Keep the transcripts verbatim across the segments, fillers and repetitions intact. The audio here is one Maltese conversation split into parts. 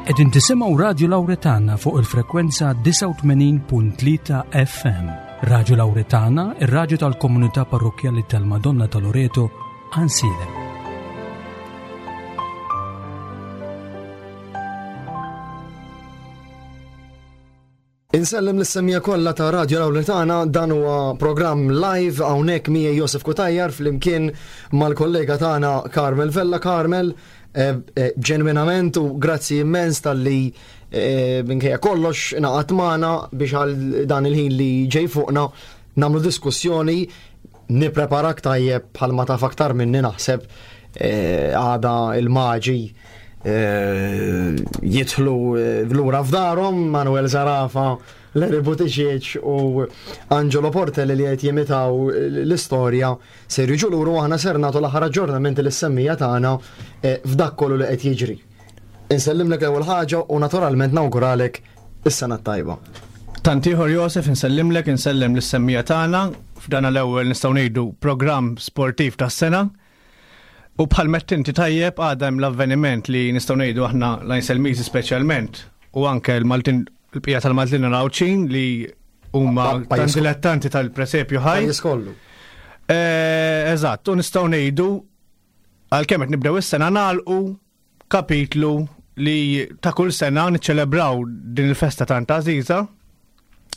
Qegħdin tisimgħu Radio Lauretana fuq il-frekwenza disgħa u tmenin punt tlieta F M. Radio Lauretana, ir-radju tal-komunità parrokkjali tal-Madonna ta' Loreto, Għajnsielem. Insellem lis-semija kollha ta' Radio Lauretana, dan huwa programm live hawnhekk miegħi Josef Cutajar flimkien mal-kollega tagħna Carmel Vella. Carmel, eh, eh, ġenwinament u grazzi immens tal-li, eh, minkejja kollox ingħaqad magħna biex għal dan il-ħin li ġej fuqna nagħmlu diskussjoni, nippreparak tajjeb bħalma taf aktar minni naħseb, eh, għada il-maġi, eh, jidħlu, eh, lura f'darhom Manuel Zerafa, Larry Buttigieg u Angelo Portelli li qed jimitaw l-istorja ser jiġu lura u aħna ser nagħtu l-aħħar aġġornamenti lis-semmija tagħna, eh, f'dak kollu li qed jiġri. Insellimlek l-ewwel ħaġa u naturalment nawguralek is-sena t-tajba. Tant ieħor Josef, insellimlek, insellem lis-semmija tagħna f'dan l-ewwel nistgħu ngħidu programm sportiv tas-sena. U bħal mett inti tajjeb għadha hemm l-avveniment li nistgħu ngħidu aħna l-Għajnselmiżi speċjalment u anke l-Maltin, il-bqija tal-Maltin Għawdxin li huma Pa-, pajjiż tant dilettanti tal-presepju ħaj. Pajjiż kollu. Eh, eżatt, u nistgħu ngħidu għalkemm qed nibdew is-sena nagħlqu kapitlu li ta' kull sena niċċelebraw din il-festa tant għażiża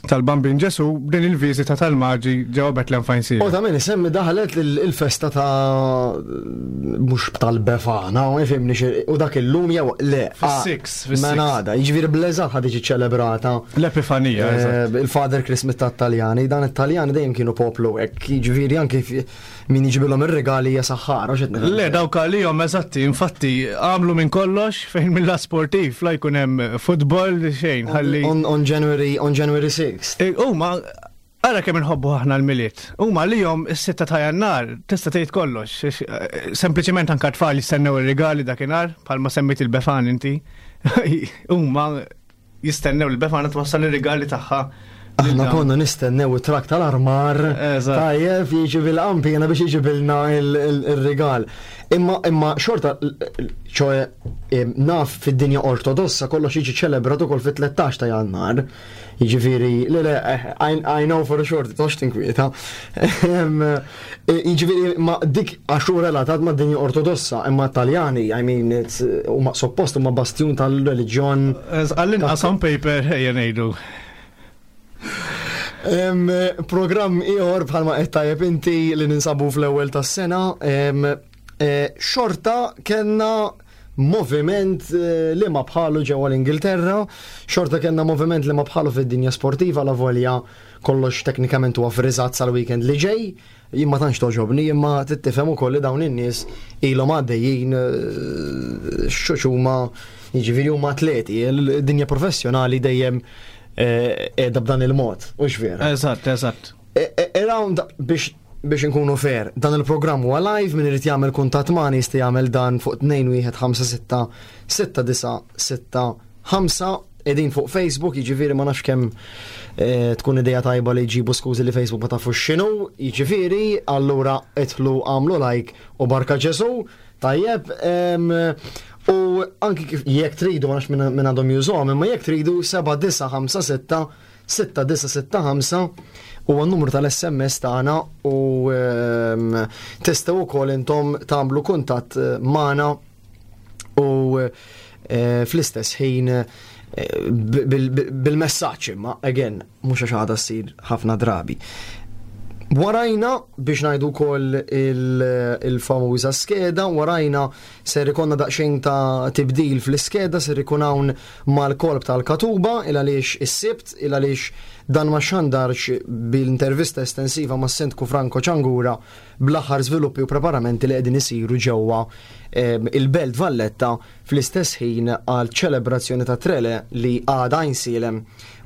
tal-Bambin Ġesu din il-viżita tal-Maġi ġewwa Bethlehem f'Għajnsielem. U ta' min isemmi daħlet il-, il-festa ta' mhux tal-Befana, u jifhimni xi, u dak illum jew le, Fis-six, ah, fis-six. Mela għada, jiġifieri bl-eżatt ħad tiġi ċelebrata. L-Epifanija, Eh, eżatt. Il-Father Christmas tat-Taljani, dan it-Taljani dejjem kienu poplu hekk, jiġifieri anke fi-, min jiġibilhom ir-regali hija saħħara, x'qed nifhem. Le, dawk għalihom eżatti, infatti għamlu minn kollox fejn mill-lat sportiv la jkun hemm futbol xejn, ħalli On, on January, on January sixth. E, huma ara kemm inħobbu aħna l-Milied. Huma għalihom is-sitta ta' Jannar tista' tgħid kollox. Ix-, eh, sempliċement anke tfal jistennew ir-rigali dakinhar, bħalma semmejt il-Befan inti. Huma jistennew il-Befana twassal ir-rigali tagħha. Aħna Lil konna nistennew it-trak tal-armar. Eżatt. Tajjeb, jiġi bil-qampina biex jiġibilna il-, il-, il-rigal. Imma, imma xorta, ċoe, em, naf fid-dinja ortodossa kollox jiġi ċelebrat ukoll fit-tlettax ta' Jannar. Jiġifieri, le, le, eh, I, I know for sure, tox tinkwieta. Em, eh, jiġifieri, ma dik għax hu relatat ma' dinja ortodossa, imma Taljani, I mean, it's, huma suppost huma bastjun tal-reliġjon. Eż, għall-inqas on paper, ejja ngħidu. Em, programm ieħor bħalma qed tajjeb inti li ninsabu fl-ewwel tas-sena, em, eh, xorta kellna moviment, eh, li ma bħalu ġewwa l-Ingilterra, xorta kellna moviment li ma bħalu fid-dinja sportiva, la volja kollox teknikament huwa friżat sal-weekend li ġej, jien ma tantx toġobni, imma tittifhem ukoll li dawn in-nies ilhom għaddejjin, eh, xuxuma, jiġifieri huma atleti, il-dinja professjonali dejjem, eh, qiegħda b'dan il-mod, u x'vera. Eżatt, eżatt. E, e, around biex, biex inkunu fair, dan il-programm huwa live, min irid jagħmel kuntatt magħna jista' jagħmel dan fuq tnejn wieħed ħamsa sitta sitta disa sitta ħamsa, qegħdin fuq Facebook, jiġifieri ma nafx kemm, eh, tkun idea tajba li jġibu skużi li Facebook ma tafux x'inhu, jiġifieri allura idħlu għamlu like u barka Ġesu, tajjeb, em, u anki kif jekk tridu, ma nafx min, min għandhom jużuhom, imma jekk tridu seba' disa ħamsa sitta sitta disa sitta ħamsa huwa n-numru tal-S M S tagħna u, ehm, tistgħu wkoll intom tagħmlu kuntatt, eh, magħna u, eh, fl-istess ħin, eh, bil-, bil-, bil-messaġġ, imma again mhux għax għadha ssir ħafna drabi. Warajna biex ngħidu wkoll il-, il-famuża skeda, warajna ser ikonna daqsxejn ta' tibdil fl-iskeda, ser ikun hawn mal-kolb tal-Katuba, il għaliex is-Sibt, il għaliex dan ma xandarx bil-intervista estensiva mas Sindku Franco Ciangura bl-aħħar żviluppi u preparamenti li qegħdin isiru ġewwa, ehm, il-Belt Valletta fl-istess ħin għal ċelebrazzjoni ta' Trele li għada Għajnsielem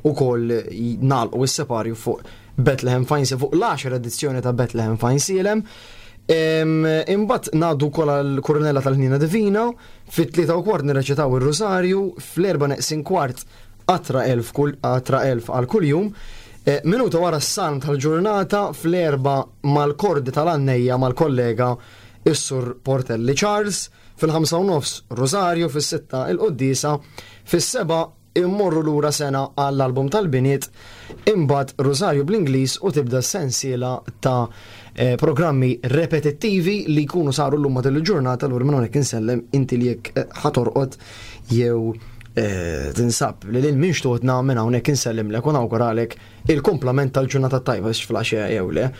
ukoll nagħlqu s-separju fuq Bethlehem f'Għajnsielem, fuq l-għaxar edizzjoni ta' Bethlehem f'Għajnsielem. Em, imbagħad ngħaddu wkoll għall-Kurunella tal-Ħnina Divina, fit-tlieta u kwart nirreċitaw ir-Rosarju, fl-erba' neqsin kwart qatra elf kull, qatra elf għal kuljum. Eh, minuta wara s-salm tal-ġurnata fl-erba' mal-kordi tal-għannejja mal-kollega is-Sur Portelli Charles, fil-ħamsa u nofs Rosario, fis-sitta il-Qoddisa, fis-seba immorru lura sena għall-album tal-biniet, imbagħad Rosario bl-Ingliż u tibda sensiela ta' eh, programmi repetittivi li jkunu saru l-lum matul il-ġurnata. L minn hawnhekk insellem inti li jekk eh, ħa torqod jew eh, tinsab li lil minn xtutna, minn hawnhekk insellimlek u nawguralek il-komplament tal-ġurnata tajba x'flaxja jew le.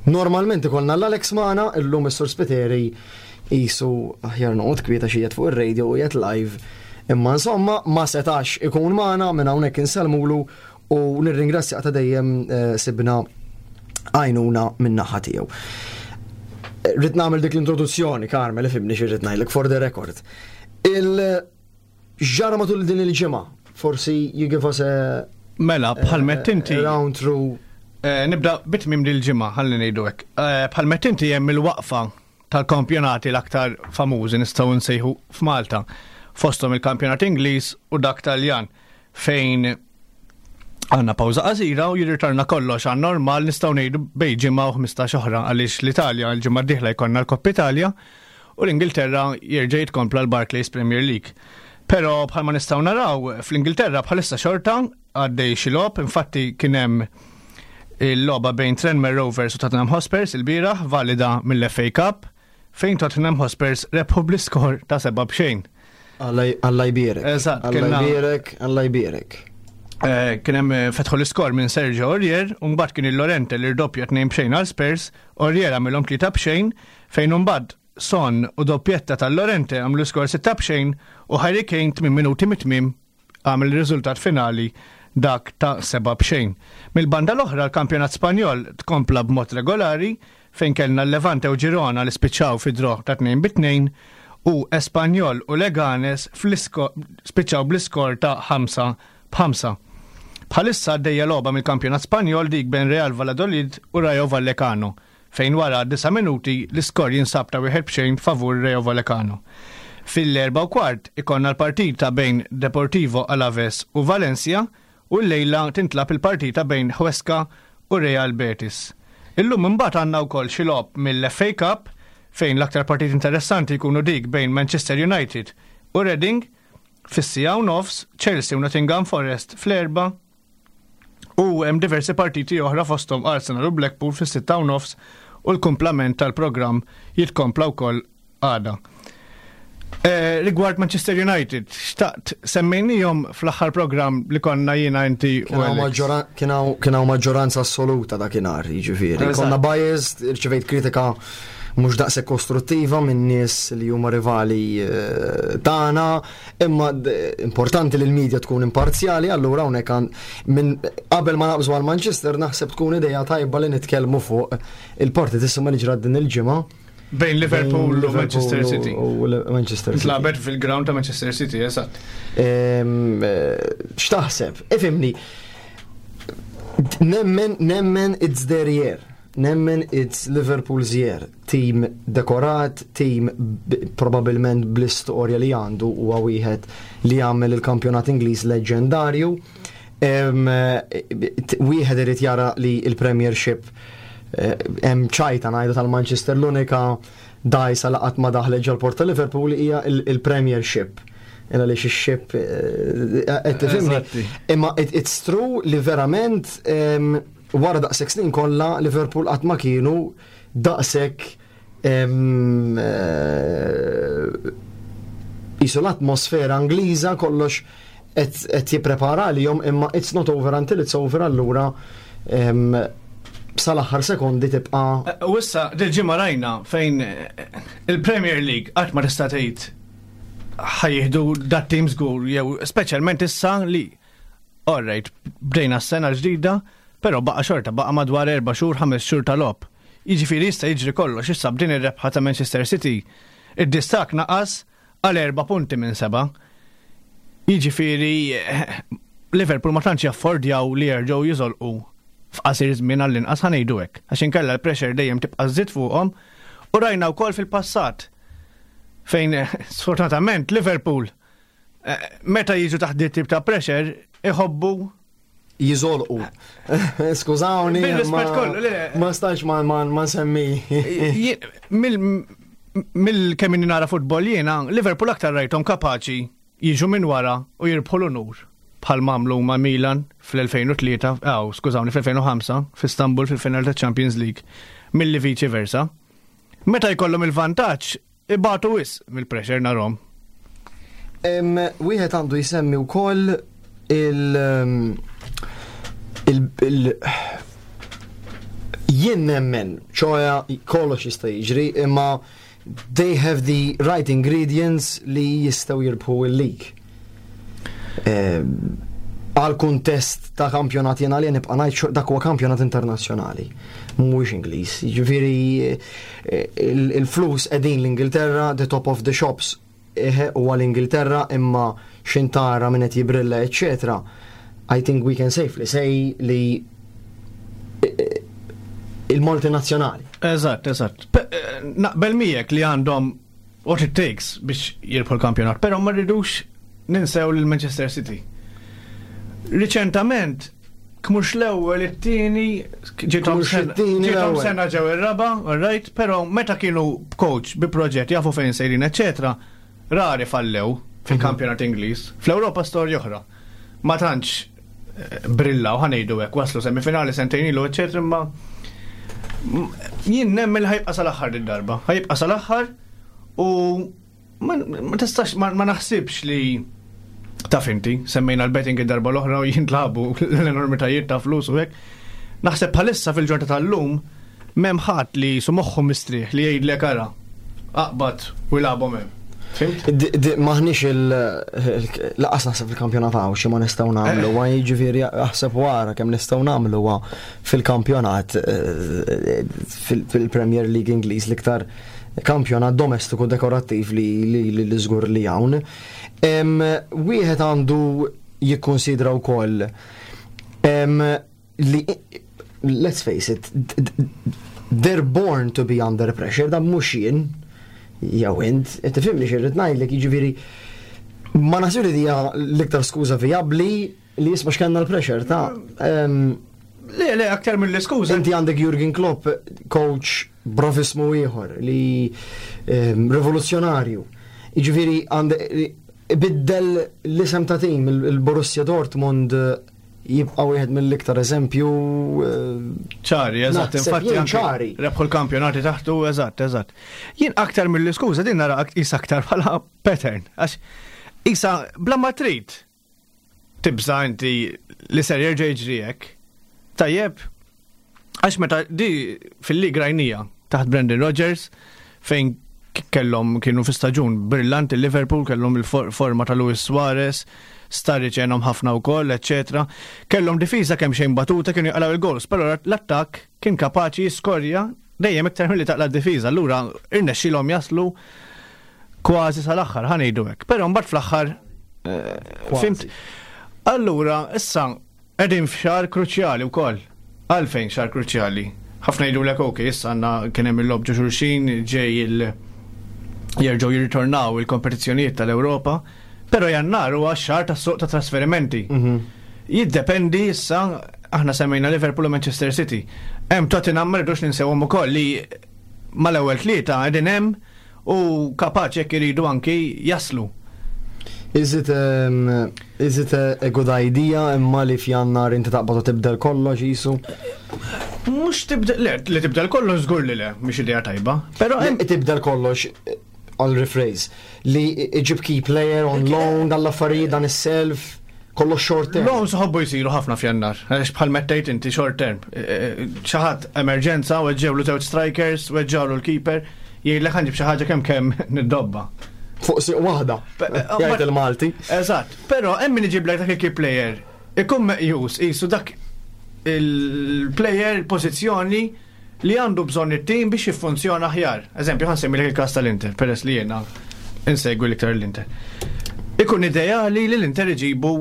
Normalment ikollna l-Alex magħna, illum is-Sur Spiteri jisu aħjar noqgħod kwieta xi fuq ir-radio u qiegħed live. Imma insomma ma setax ikun magħna, minn hawnhekk insellmulu u nirringrazzja ta' dejjem eh, sibna għajnuna minn naħa tiegħu. Rrid nagħmel dik l-introduzzjoni, Carmel, ifhimni xi rrid ngħidlek for the record. Il-ġara matul din il-ġimgħa, forsi you give us a Mela, bħal inti. round through. Eh, nibda bit-tmiem dil-ġimgħa, ħalli ngħidu hekk. Eh, bħal inti hemm il-waqfa tal-kampjonati l-aktar famużi nistgħu nsejħu f'Malta. Fosthom il-kampjonat Ingliż u dak Taljan, fejn għandna pawża qasira u jirritorna kollox għan normal nistgħu ngħidu bejn ġimgħa u ħmistax oħra, għaliex l-Italja l-ġimgħa d-dieħla jkollna l-Koppa Italja u l-Ingilterra jerġa' jitkompla l-Barclays Premier League. Però bħalma nistgħu naraw, fl-Ingilterra bħalissa xorta għaddej xi logħob, infatti kien hemm il-logħba bejn Tranmere Rovers u Tottenham Hotspurs il-bieraħ, valida mill-F A Cup, fejn Tottenham Hotspurs rebħu bl-iskor ta' seba' b'xejn. Alla jbierek. Eżatt, Alla kellna- jbierek, Alla jbierek. Eh, Kien hemm eh, fetħu l-iskor minn Sergio Aurier, u mbagħad kien il-Llorente li rdoppja tnejn b'xejn għal Spurs, Aurier għamilhom tlieta b'xejn, fejn mbagħad Son u doppjetta tal-Llorente għamlu skor sitta b'xejn u Harry Kane tmien minuti mit-tmiem għamel il-riżultat finali dak ta' seba' b'xejn. Mill-banda l-oħra, l-kampjonat Spanjol tkompla b'mod regolari, fejn kellna l-Levante u Girona li spiċċaw fi draw ta' tnejn bit-tnejn u Espanyol u Leganes fl-isko- spiċċaw bl-iskor ta' ħamsa b'ħamsa. Bħalissa għaddejja logħba mill-kampjonat Spanjol, dik bejn Real Valladolid u Rayo Vallecano, fejn wara disa' minuti l-iskor jinsab ta' wieħed b'xejn favur Rayo Vallecano. Fil-erba u kwart ikonna l-partita bejn Deportivo Alaves u Valencia u l-lejla tintlagħab il-partita bejn Huesca u Real Betis. Illum imbagħad għandna wkoll xi logħob mill-F A Cup, fejn l-aktar partit interessanti jkunu dik bejn Manchester United u Reading fis-siegħa u nofs, Chelsea u Nottingham Forest fl-erba u hemm diversi partiti oħra, fosthom Arsenal u Blackpool fis-sitta u nofs, u l-kumplament tal-programm jitkompla wkoll għada. Eh, rigward Manchester United, xtaqt semmejnijom fl-aħħar program li konna jiena, inti u Kien hawn Alex. maġġoran- kien hawn- kien hawn maġġoranza assoluta dakinhar, jiġifieri. Eżatt. Konna biased, irċevejt kritika mhux daqshekk kostruttiva minn nies li huma rivali eh, tagħna, imma d- importanti li l-medja tkun imparzjali, allura hawnhekk għan- minn qabel ma naqbżu għal Manchester naħseb tkun idea tajba li nitkellmu fuq il-partitissima li ġrat din il-ġimgħa bejn Liverpool bejn u Manchester Liverpool City. U u Manchester City. Ntlagħbet fil-ground ta' Manchester City, eżatt. Ehm, eh, X'taħseb? Ifhimni. Nemmen, nemmen it's their year. Nemmen it's Liverpool's year. Team dekorat, team b- probabilment bl-istorja li għandu huwa wieħed li jagħmel il-kampjonat Ingliż leġendarju. Em, eh, t- Wieħed irid jara li il-Premiership eh, hemm ċajta ngħidu tal-Manchester, l-unika dgħajsa li qatt ma daħlet ġol-port ta' Liverpool hija il- il-Premiership. Illa li xi ship eh, qed tifhimni. Eżatti. Imma it, it's true li verament em, wara daqshekk snin kollha Liverpool qatt ma kienu daqshekk em, eh, jisu l-atmosfera Ingliża kollox qed qed jipprepara għalihom, imma it's not over until it's over, allura em, sal-aħħar sekondi tibqa' Eh, U issa, dil-ġimgħa rajna fejn eh, il-Premier League qatt ma tista' tgħid ħa jieħdu dat team żgur, jew speċjalment issa li alright, bdejna s-sena ġdida, però baqa' xorta baqa' madwar erba' xhur, ħames xhur tal-logħob. Jiġifieri jista' jiġri kollox. Issa b'din ir-rebħa ta' Manchester City, id-distakk naqas għal erba' punti minn seba'. Jiġifieri eh, Liverpool ma tantx jaffordjaw li jerġgħu jiżolqu f'qasir żmien, għall-inqas ħa ngħidu hekk. Għax inkella l-pressure dejjem tibqa' żżid fuqhom u rajna wkoll fil-passat fejn eh, sfortunatament Liverpool eh, meta jiġu taħt dit tip ta' pressure iħobbu jiżolqu. Skużawni, Bil-rispett ma- kollu, le. ma stax ma ma ma nsemmi. Ji- mill- Mill kemm inni nara futbol jiena, Liverpool aktar rajthom kapaċi jiġu minn wara u jirbħu l-unur bħal m'għamlu ma' Milan fl-elfejn u tlieta, aw, skużawni, fl-elfejn u ħamsa f'Istanbul fil-final ta' Champions League, milli viċi versa. Meta jkollhom il-vantaġġ, ibatu wisq mill-pressure narahom. Wieħed għandu jsemmi wkoll il- il, il jien nemmen, ċoè kollox jista' jiġri, imma they have the right ingredients li jistgħu jirbħu il-league. Għal kuntest ta' kampjonat jena li nibqa' ngħid dak huwa kampjonat internazzjonali, mhuwiex Ingliż. Jiġifieri il-flus qegħdin l-Ingilterra, the top of the shops huwa l-Ingilterra, imma xintara minn qed jibrilla, eċetera. I think we can safely say li il-multinazzjonali. Eżatt, eżatt. Naqbel miegħek li għandhom what it takes biex jirbħu l-kampjonat, però ma rridux ninsew lil Manchester City. Riċentament, kmux l-ewwel it-tieni, ġiethom sena ġew ir-raba, all right, però meta kienu coach bi proġett, jafu fejn sejrin, eċetera, rari fallew fil-kampjonat Ingliż. Fl-Ewropa storja oħra. Ma tantx eh, brillaw, ħa ngħidu hekk, waslu semifinali sentejn ilu, eċetera, imma jien nemmen li ħa jibqa' sal-aħħar id-darba. Ħa jibqa' sal-aħħar u ma tistax ma naħsibx li taf inti, semmejna l-betting id-darba l-oħra u jintlabu l-enormitajiet ta' flus u hekk. Naħseb bħalissa fil-ġurnata tal-lum m'hemm ħadd li su moħħu mistrieħ li jgħidlek ara aqbad u jilagħbhom hemm. Maħniex il-laqas naħseb fil-kampjonat għaw xi ma nistgħu nagħmlu, għaj jiġifieri aħseb wara kemm nistgħu nagħmlu fil-kampjonat eh, fil-Premier League Ingliż, l-iktar kampjonat domestiku dekorattiv li li żgur li hawn. Wieħed għandu jikkonsidra wkoll li, let's face it, they're born to be under pressure, dan mhux jien jew int, tifhimni x'irrid ngħidlek, jiġifieri ma naħsib li dija l-iktar skuża vijabbli li jisma' x'kellna l-pressure ta' Le, le, aktar mill-iskuża. Inti għandek Jurgen Klopp, coach brofismu ieħor li rivoluzzjonarju. Jiġifieri għandek biddel l-isem ta' tim, il-Borussia Dortmund jibqa' wieħed mill-iktar eżempju ċari, eżatt, infatti ċari. Rebħu l-kampjonati taħtu, eżatt, eżatt. Jien aktar mill-iskuża din nara isa aktar bħala pattern, għax isa bla ma trid tibża inti li ser jerġa' jiġri hekk. Tajjeb, għax meta di fil-lig rajnija taħt Brendan Rodgers fejn kellhom kienu fi staġun brillanti Liverpool, kellhom il-forma ta' Luis Suarez, Sturridge għenhom ħafna wkoll, eċetera. Kellhom difiża kemm xejn batuta, kienu jaqlaw il-goals, però l-attakk kien kapaċi jiskorja dejjem iktar milli taqla' d-difiża. Allura irnexxielhom jaslu kważi sal-aħħar, ħa ngħidu hekk. Però mbagħad fl-aħħar eh, fimt. Allura issa qegħdin f'xahar kruċjali wkoll. Għalfejn xahar kruċjali? Ħafna jgħidu l ok, issa għandna kien hemm il-logħob ġo xulxin, ġej il- jerġgħu jirritornaw il-kompetizzjonijiet tal-Ewropa, però Jannar huwa xahar tas-suq ta' trasferimenti. Mhm. Jiddependi issa, aħna semmejna Liverpool u Manchester City. Hemm Tottenham, ma rridux ninsewhom ukoll, li mal-ewwel tlieta qegħdin hemm u kapaċi jekk iridu anki jaslu. Is it, um, is it a, a good idea imma li f'Jannar inti taqbad u tibdel kollox jisu? Mhux tibdel, le, li tibdel kollox żgur li le, mhix idea tajba. Però hemm tibdel kollox, I'll rephrase, li iġib key player on loan, dan l-affarijiet, dan is-self, kollox short term. Loans ħobbu jisiru ħafna f'Jannar, għax bħal mettejt inti short term. Xi ħadd emerġenza, weġġewlu żewġ strikers, weġġawlu l-keeper, jgħidlek ħa nġib xi ħaġa kemm kemm niddobba. Fuq siq waħda. Jgħid il-Malti. Eżatt, però hemm min iġiblek dak il-key player, ikun meqjus qisu dak il-player, il-pożizzjoni li għandu bżonn it-tim biex jiffunzjona aħjar. Eżempju, ħa nsemmi il-każ tal-Inter, peress li jiena insegwi l-iktar l-Inter. Ikun ideali li l-Inter iġibu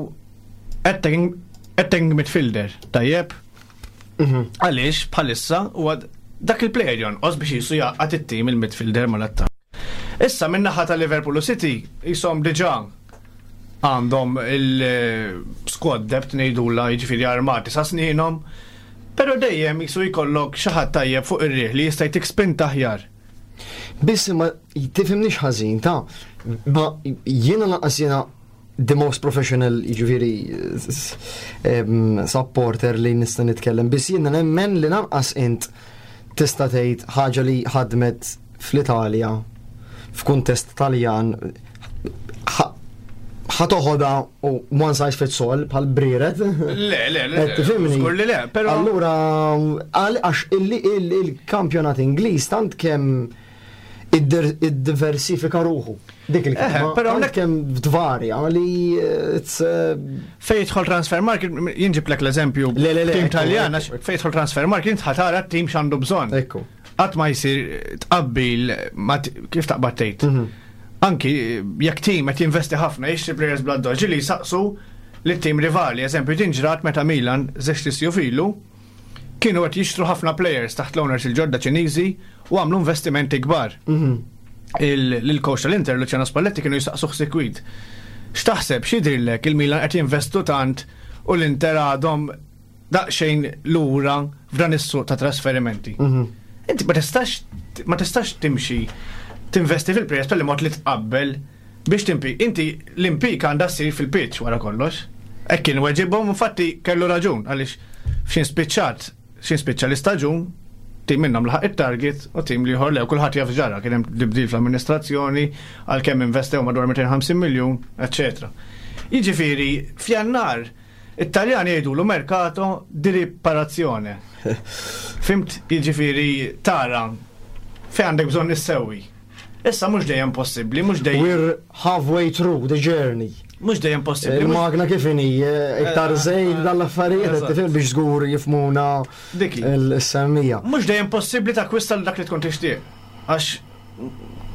attacking, attacking midfielder, tajjeb? Mhm. Għaliex bħalissa huwa dak il-player jonqos biex jisu jaqgħad it-tim, il-midfielder mal-attakk. Issa min-naħa ta' Liverpool u City jisom diġà għandhom il-squad depth ngħidula, jiġifieri armati sa sninhom, però dejjem jisu jkollok xi ħadd tajjeb fuq ir-riħ li jista' jtik spinta aħjar. Biss ma tifhimniex ħażin ta' ma jiena lanqas jiena the most professional, jiġifieri, supporter li nista' nitkellem, biss jiena nemmen li lanqas int tista' tgħid ħaġa li ħadmet fl-Italja f'kuntest Taljan ħa toħodha u one size fits all bħal brieret. Le, le, le. Tifhimni? Żgur li le, però. Allura, għax il-kampjonat Ingliż tant kemm iddiversifika ruħu. Dik il-kelma. Però tant kemm tvarja li it's Fejn jidħol transfer market, jien ġiblek l-eżempju. Le, le, le, Tim ekku, Taljan, ekku. fejn jidħol transfer market, int ħa tara t-tim x'għandu bżonn. Ekku. Qatt ma jsir tqabbil ma t- kif taqbad tgħid. Mhm. Anki jekk tim qed jinvesti ħafna jixtri players bla doġi li saqsu lit-tim rivali, eżempju din ġrat meta Milan żewġt isjuf ilu kienu qed jixtru ħafna players taħt l-owners il-ġodda Ċiniżi u għamlu investimenti kbar. Mhm. Il-coach tal-Inter, Luciano Spalletti, kienu jistaqsuh sikwit. X'taħseb, x'jidhirlek il-Milan qed jinvestu tant u l-Inter għadhom daqsxejn lura f'dan is-suq ta' trasferimenti? Mhm. Inti ma tistax ma tistax timxi tinvesti fil-players tal mod li tqabbel biex timpi. Inti l-impik għandha ssir fil-pitch wara kollox. Hekk kien weġibhom, infatti kellu raġun għaliex f'xi spiċċat, xi spiċċa l-istaġun, tim minnhom laħaq it-target u tim l-ieħor le, u kulħadd jaf ġara, kien hemm tibdil fl-amministrazzjoni għalkemm investew madwar mitejn u ħamsin miljun, eċċetera. Jiġifieri f'Jannar it-Taljani jgħidulu mercato di riparazione. Fhimt, jiġifieri tara fejn għandek bżonn issewwi. Issa mhux dejjem possibbli, mhux dejjem We're halfway through the journey. Mhux dejjem possibbli. mhux- Il-magna kif inhi, eh, iktar żejt dal-affarijiet, Eżatt. tifhem, biex żgur jifhmuna Diki. l-semmija. Mhux dejjem possibbli takkwista dak li tkun tixtieq. Għax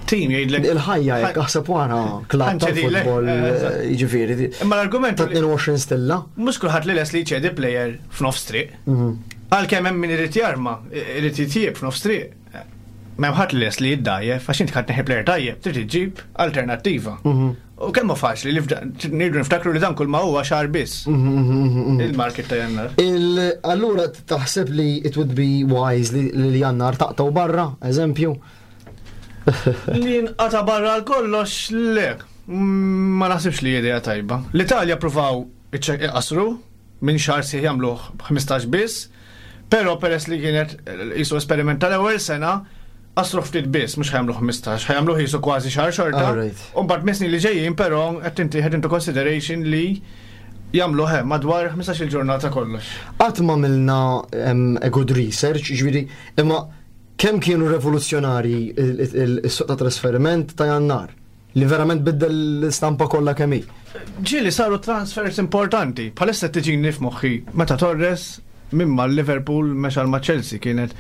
tim jgħidlek. Il-ħajja jekk aħseb wara klabb Ħa nċedilek, tal-futbol, eh, eżatt. eh, jiġifieri Imma l-argument ta' tnejn u għoxrin stilla. Mhux kulħadd li les li jċedi player f'nofs triq. Mhm. Għalkemm hemm min irid jarma, irid jitjieb f'nofs triq. M'hemm ħadd li les li jiddajjef, għax inti ħadd neħi player tajjeb, trid iġġib alternattiva. Mhm. U kemm hu faċli li f'da- nirdu niftakru li dan kull ma huwa xahar biss. Mhm, mhm, mhm. Il-market ta' Jannar. Il- Allura taħseb li it would be wise li li Jannar taqtaw barra, eżempju? Li nqata barra għal kollox, le. Mm, Ma naħsibx li idea tajba. L-Italja provaw iqasru minn xahar sħiħ jagħmluh ħmistax biss, però peress li kienet jisu esperiment tal-ewwel sena, qasru ftit biss, mhux ħa jagħmlu ħmistax, ħa jagħmluh jisu kważi xahar xorta. Alright. U mbagħad mis-snin li ġejjin però qed tintieħed into consideration li jagħmluh hemm madwar ħmistax il-ġurnata kollox. Qatt ma għamilna em, a good research, ġifieri, imma kemm kienu revoluzzjonari il-suq ta' trasferiment ta' Jannar li verament biddel l-istampa kollha kemm hi? Ġieli saru transfers importanti. Bħalissa tiġini f'moħħi meta Torres minn ma Liverpool mexa ma Chelsea, kienet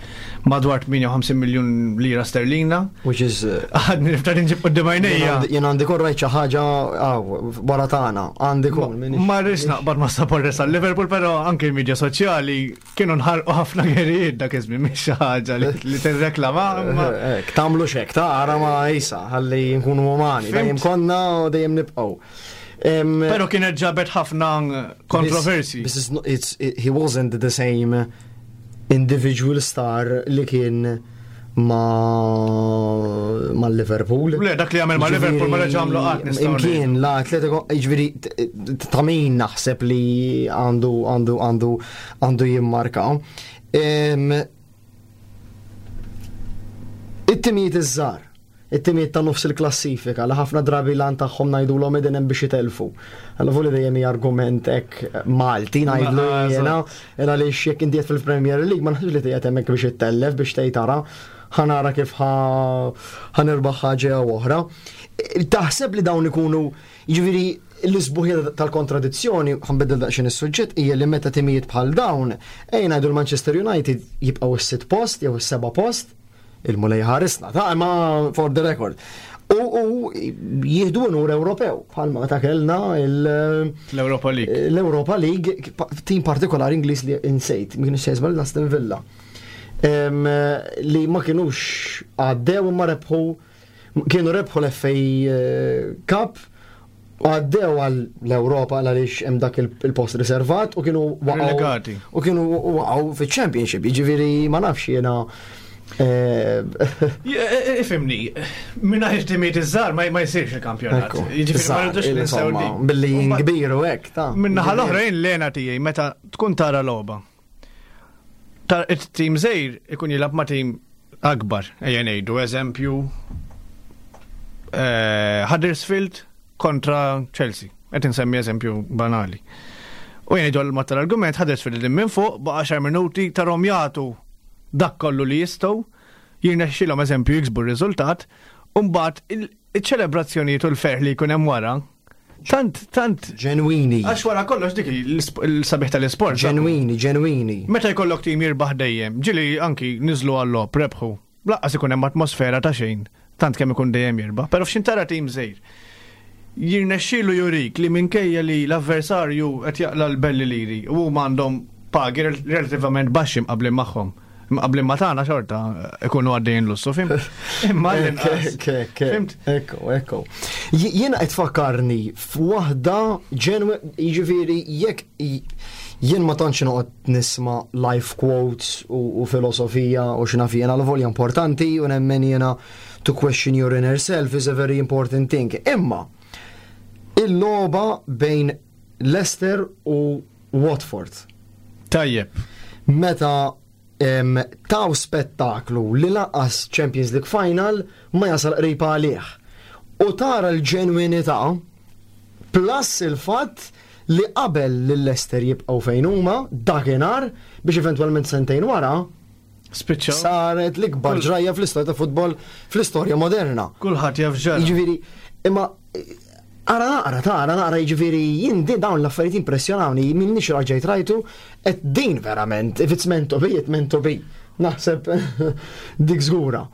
madwar tmienja u ħamsin miljun lira sterlina. Which is uh, Għadni niftar nġib quddiem għajnejja. Jien għandi kun rajt xi ħaġa wara tagħna, għandi kun. minix- Ma rridx naqbad ma supporters għal Liverpool, però anke il-medja soċjali kienu nħarqu ħafna gerijiet dak iż-żmien, mhix xi ħaġa li li tirreklama. imma- Ek, tagħmlu xek, ta' ara ma jisa, ħalli nkunu umani, Fhimt. dejjem konna u dejjem nibqgħu. Em, Però kienet ġabet ħafna kontroversi. This is not, it's, it, he wasn't the same individual star li kien ma ma Liverpool. Le, dak li għamel ma Liverpool ma reġa' għamlu qatt, nistgħu ngħidu. Imkien la Atletico, jiġifieri t- t- ta' min naħseb li għandu għandu għandu għandu jimmarka. Em, It-timijiet iż-żgħar, it-timijiet ta' nofs il-klassifika li ħafna drabi lan tagħhom ngħidulhom qegħdin hemm biex jitelfu. Allora voli dejjem hija argument hekk Malti ngħidlu Ma, jiena, għaliex jekk inti qed fil-Premier League ma naħsibx li qiegħed hemmhekk biex ittellef, biex tgħid tara ħa nara kif ħa nirbaħ ħaġa jew oħra. Taħseb li dawn ikunu, jiġifieri, l-isbuħija tal-kontradizzjoni, ħa nbiddel daqsxejn is-suġġett, hija li meta timijiet bħal dawn, ejja ngħidu l-Manchester United jibqgħu s-sitt post jew is-seba' post, il-Mulej ħarisna, ta' ma for the record. U, u jieħdu unur Ewropew, bħalma meta kellna il- L-Europa League. l-Europa League, tim partikolari Ingliż li insejt, ma kienux sejżma l-Aston Villa. Em, li ma kienux għaddew imma rebħu, kienu rebħu l-F A eh, Cup, għaddew għal l-Europa għaliex hemm dak il- il-post riservat u kienu waqgħu Relegati. u kienu waqgħu fiċ-Championship, jiġifieri ma nafx jiena Eh, eh, ifhimni, mingħajr timijiet iż-żgħar ma jsirx il-kampjonat. Jiġifieri ma rridux ninsew. Billi kbir u hekk ta' Min-naħa l-oħra jien l-hena tiegħi meta tkun tara logħba. It-tim żgħir ikun jilgħab ma' tim akbar, ejja ngħidu eżempju eh, Huddersfield kontra Chelsea. Qed insemmi eżempju banali. U jien ngħidu l tal-argument, Huddersfield minn fuq baqa' għaxar minuti tarahom jagħtu dak kollu li jistgħu, jirnexxilhom eżempju jiksbu r-riżultat, u mbagħad iċ-ċelebrazzjonijiet u l-ferħ li jkun hemm wara tant, tant. Ġenwini. Għax wara kollox dik il-sabiħ tal-isport. Ġenwini, ġenwini. Meta jkollok tim jirbaħ dejjem, ġieli anki niżlu għall-logħob, rebħu. Lanqas ikun hemm atmosfera ta' xejn, tant kemm ikun dejjem jirbaħ. Però f'xi tara tim żgħir jirnexxielu jurik li minkejja li l-avversarju qed jaqla l-belli liri u huma għandhom pagi relativament baxxi mqablin magħhom. Mqablin ma tagħna xorta ikunu għaddejjin lussu, fhimt? Imma l-inqas. Fhimt? Ekku, ekku. Jiena qed fakkarni f'waħda ġenwe, jiġifieri jekk jien ma tantx noqgħod nisma' life quotes u filosofija u x'naf jiena, l-volja importanti u nemmen jiena to question your inner self is a very important thing. Imma il-logħba bejn Leicester u Watford. Tajjeb. Meta em, taw spettaklu li lanqas Champions League Final ma jasal qrib għalih. U tara l-ġenwinità plus il-fatt li qabel li Leicester jibqgħu fejn huma dakinhar biex eventwalment sentejn wara Spiċċaw. saret l-ikbar ġrajja fl-istorja ta' futbol fl-istorja moderna. Kulħadd jaf ġara. Jiġifieri, imma ara naqra, tara naqra, jiġifieri jien din dawn l-affarijiet impressjonawni, minnix raġajt rajtu, et din verament, if it's meant to be, it's meant to be. Naħseb dik żgura.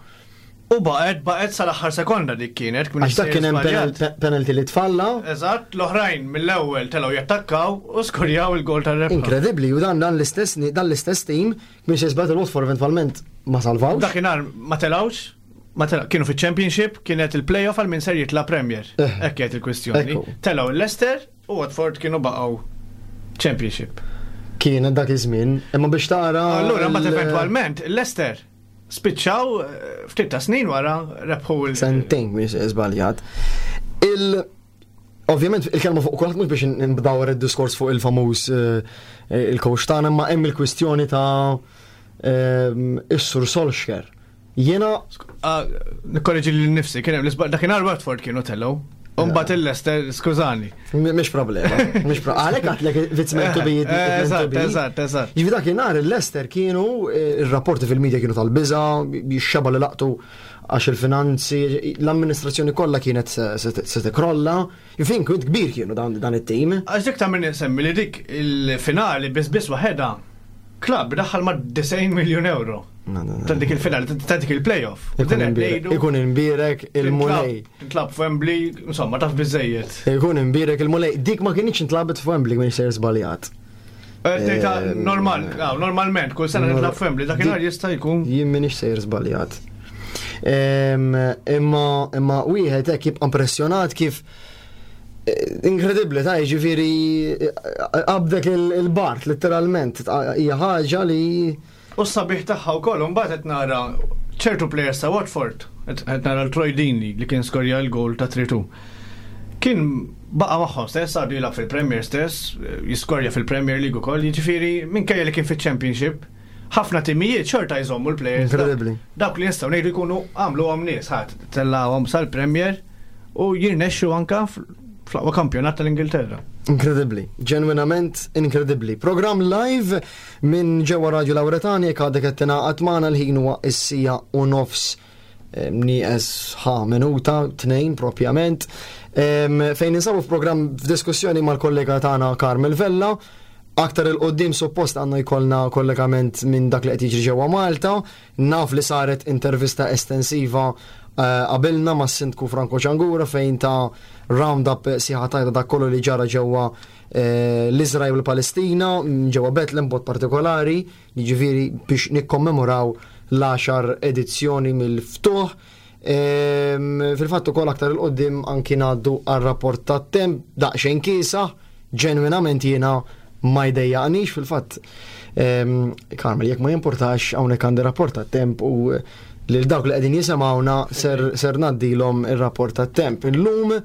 U baqgħet baqgħet sal-aħħar sekonda dik kienet. Għax dak kien hemm penal- penalty li tfalla. Eżatt, l-oħrajn mill-ewwel telgħu jattakkaw u skurjaw il-gol tar-rebħa. Inkredibbli, u dan dan l-istess dan l-istess team biex jisbat il-Watford eventwalment ma salvawx. Dakinhar ma telgħux, ma telgħu, kienu fiċ-Championship, kienet il-playoff għal min ser jitla' Premier. Eh. Hekk kienet il-kwistjoni. Ekku. Telgħu il-Leicester u Watford kienu baqgħu Championship. Kienet dak iż-żmien, imma biex tara. Allura mbagħad il- eventwalment il-Leicester spiċċaw eh, ftit ta' snin wara rebħu il- Sentejn mhix żbaljat. Il Ovvjament il-kelma fuq kulħadd mhux biex nbdawar id-diskors fuq il-famuż eh, il-coach tagħna, imma hemm il-kwistjoni ta' ehm, is-Sur Solskjaer. Jiena Ah, Nikkorreġi lil nifsi, kien hemm l-isba- dakinhar Watford kienu telgħu. U mbagħad il-Leicester, skużani. m- mhix problema, mhix problema. Għalhekk għedtlek if it's meant to be, it's meant to Eżatt, be. eżatt, eżatt. Jiġifieri dakinhar il-Leicester kienu, eh, il-rapporti fil-medja kienu tal-biża, xeba li laqtu għax il-finanzi, l-amministrazzjoni kollha kienet se- se se tikrolla. Fin kien kbir kienu dan dan it-tim. Għax dik ta' minn insemmi li dik il-finali biss biss waħedha klabb daħħal ma' disgħin miljun euro. Ta' dik il-finali, ta' dik il-playoff. U Ikun din qed imbierek- ngħidu- ikun imbierek il-Mulej. Tintlab f'Wembley, insomma, taf biżejjed. Ikun imbierek il-Mulej. Dik ma kienx intlabet f'Wembley, minn sejr żbaljat. Eh, ta' Eh, normal, ah, normalment, kull sena tintlab f'Wembley, dakinhar jista' jkun. Jien minix sejr żbaljat. Em, Imma imma wieħed hekk jibqa' impressjonat kif eh, inkredibbli ta' jiġifieri eh, qabdek il- il-bart letteralment hija ħaġa li U s-sabiħ tagħha wkoll imbagħad qed nara ċertu players ta' Watford, qed qed nara l-Troy Deeney li kien skorja l-goal ta' tlieta tnejn. Kien baqa' magħhom stess, għadu jilgħab fil-Premier stess, jiskorja fil-Premier League ukoll, jiġifieri minkejja li kien fiċ-Championship, ħafna timijiet xorta jżommu l-players. Inkredibbli. Dawk li nistgħu ngħidu jkunu għamluhom nies, ħadd tellgħuhom sal-Premier u jirnexxu anka fl-aqwa kampjonat tal-Ingilterra. Inkredibbli, ġenwinament inkredibbli. Program live minn ġewwa Radio Lauretani, jekk għadek qed tingħaqad magħna, l-ħin huwa is-siegħa u nofs em, nieqes ħa minuta, tnejn propjament, em, fejn ninsabu f'program f'diskussjoni mal-kollega tagħna Carmel Vella. Aktar 'il quddiem suppost għandna jkollna kollegament minn dak li qed jiġri ġewwa Malta. Naf li saret intervista estensiva eh, qabilna mas sindku Franco Ciangura fejn ta round-up sħiħa tajba dak kollu li ġara ġewwa eh, l-Izrael u l-Palestina, mm, ġewwa Bethlehem b'mod partikolari, jiġifieri biex nikkommemoraw l-għaxar edizzjoni mill-ftuħ. Ehm, Fil-fatt ukoll aktar 'il quddiem anki ngħaddu għar-rapport tat-temp daqsxejn kiesaħ, ġenwinament jiena ma jdejjaqnix fil-fatt. Carmel, jekk ma jimportax, hawnhekk għandi rapport tat-temp u lil dawk li qegħdin jisimgħuna ser ser ngħaddilhom ir-rapport tat-temp. Illum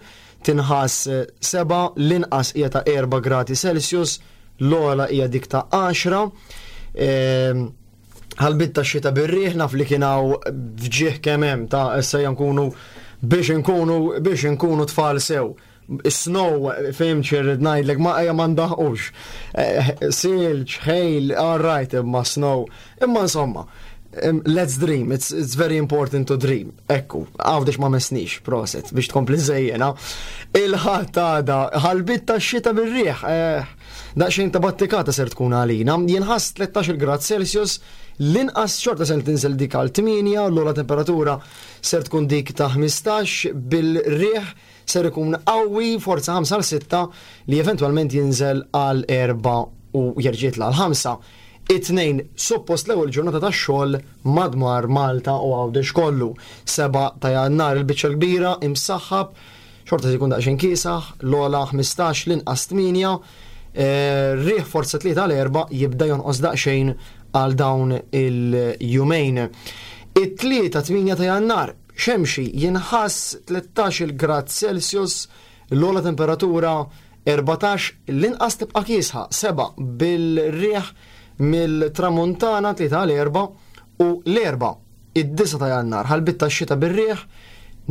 tinħass seba', l-inqas hija ta' erba' gradi Celsius, l-ogħla hija dik ta' għaxra. Ħalbit ta' xita bir-riħ, naf li kien hawn fġieħ kemm hemm ta' issa nkunu biex nkunu biex nkunu tfal sew. Snow, fim ċirrid ngħidlek, ma ejja ma ndaħqux. Silġ, ħejl, all right, imma snow. Imma insomma, let's dream, it's, it's very important to dream. Ekku, Għawdex ma mesnix, proset, biex tkompli żejjena. Il-Ħadd għada, ħalbit ta' xita bir-riħ, daqsxejn ta' battikata ser tkun għalina. Jinħass tlettax-il grad Celsius, l-inqas xorta ser tinżel dik għal tmienja, l-ogħla temperatura ser tkun dik ta' ħmistax, bil-riħ ser ikun qawwi forza ħamsa għal sitta li eventwalment jinżel għal erba' u jerġa' jitla' għal ħamsa. It-tnejn suppost l-ewwel ġurnata tax-xogħol madwar Malta u Għawdex kollu. Seba' ta' Jannar il-biċċa l-kbira imsaħħab, xorta se jkun daqsxejn kiesaħ, l-ogħla ħmistax, l-inqas tmienja, eh, riħ forza tlieta għal erba' jibda jonqos daqsxejn għal dawn il-jumejn. It-tlieta tmienja ta' Jannar, xemxi jinħass tlettax-il grad Celsius, l-ogħla temperatura erbatax, l-inqas tibqa' kiesħa seba' bil-riħ mill-tramuntana tlieta għal erba' u l-erba' id-disa ta' Jannar ħalbit tax-xita bir-riħ,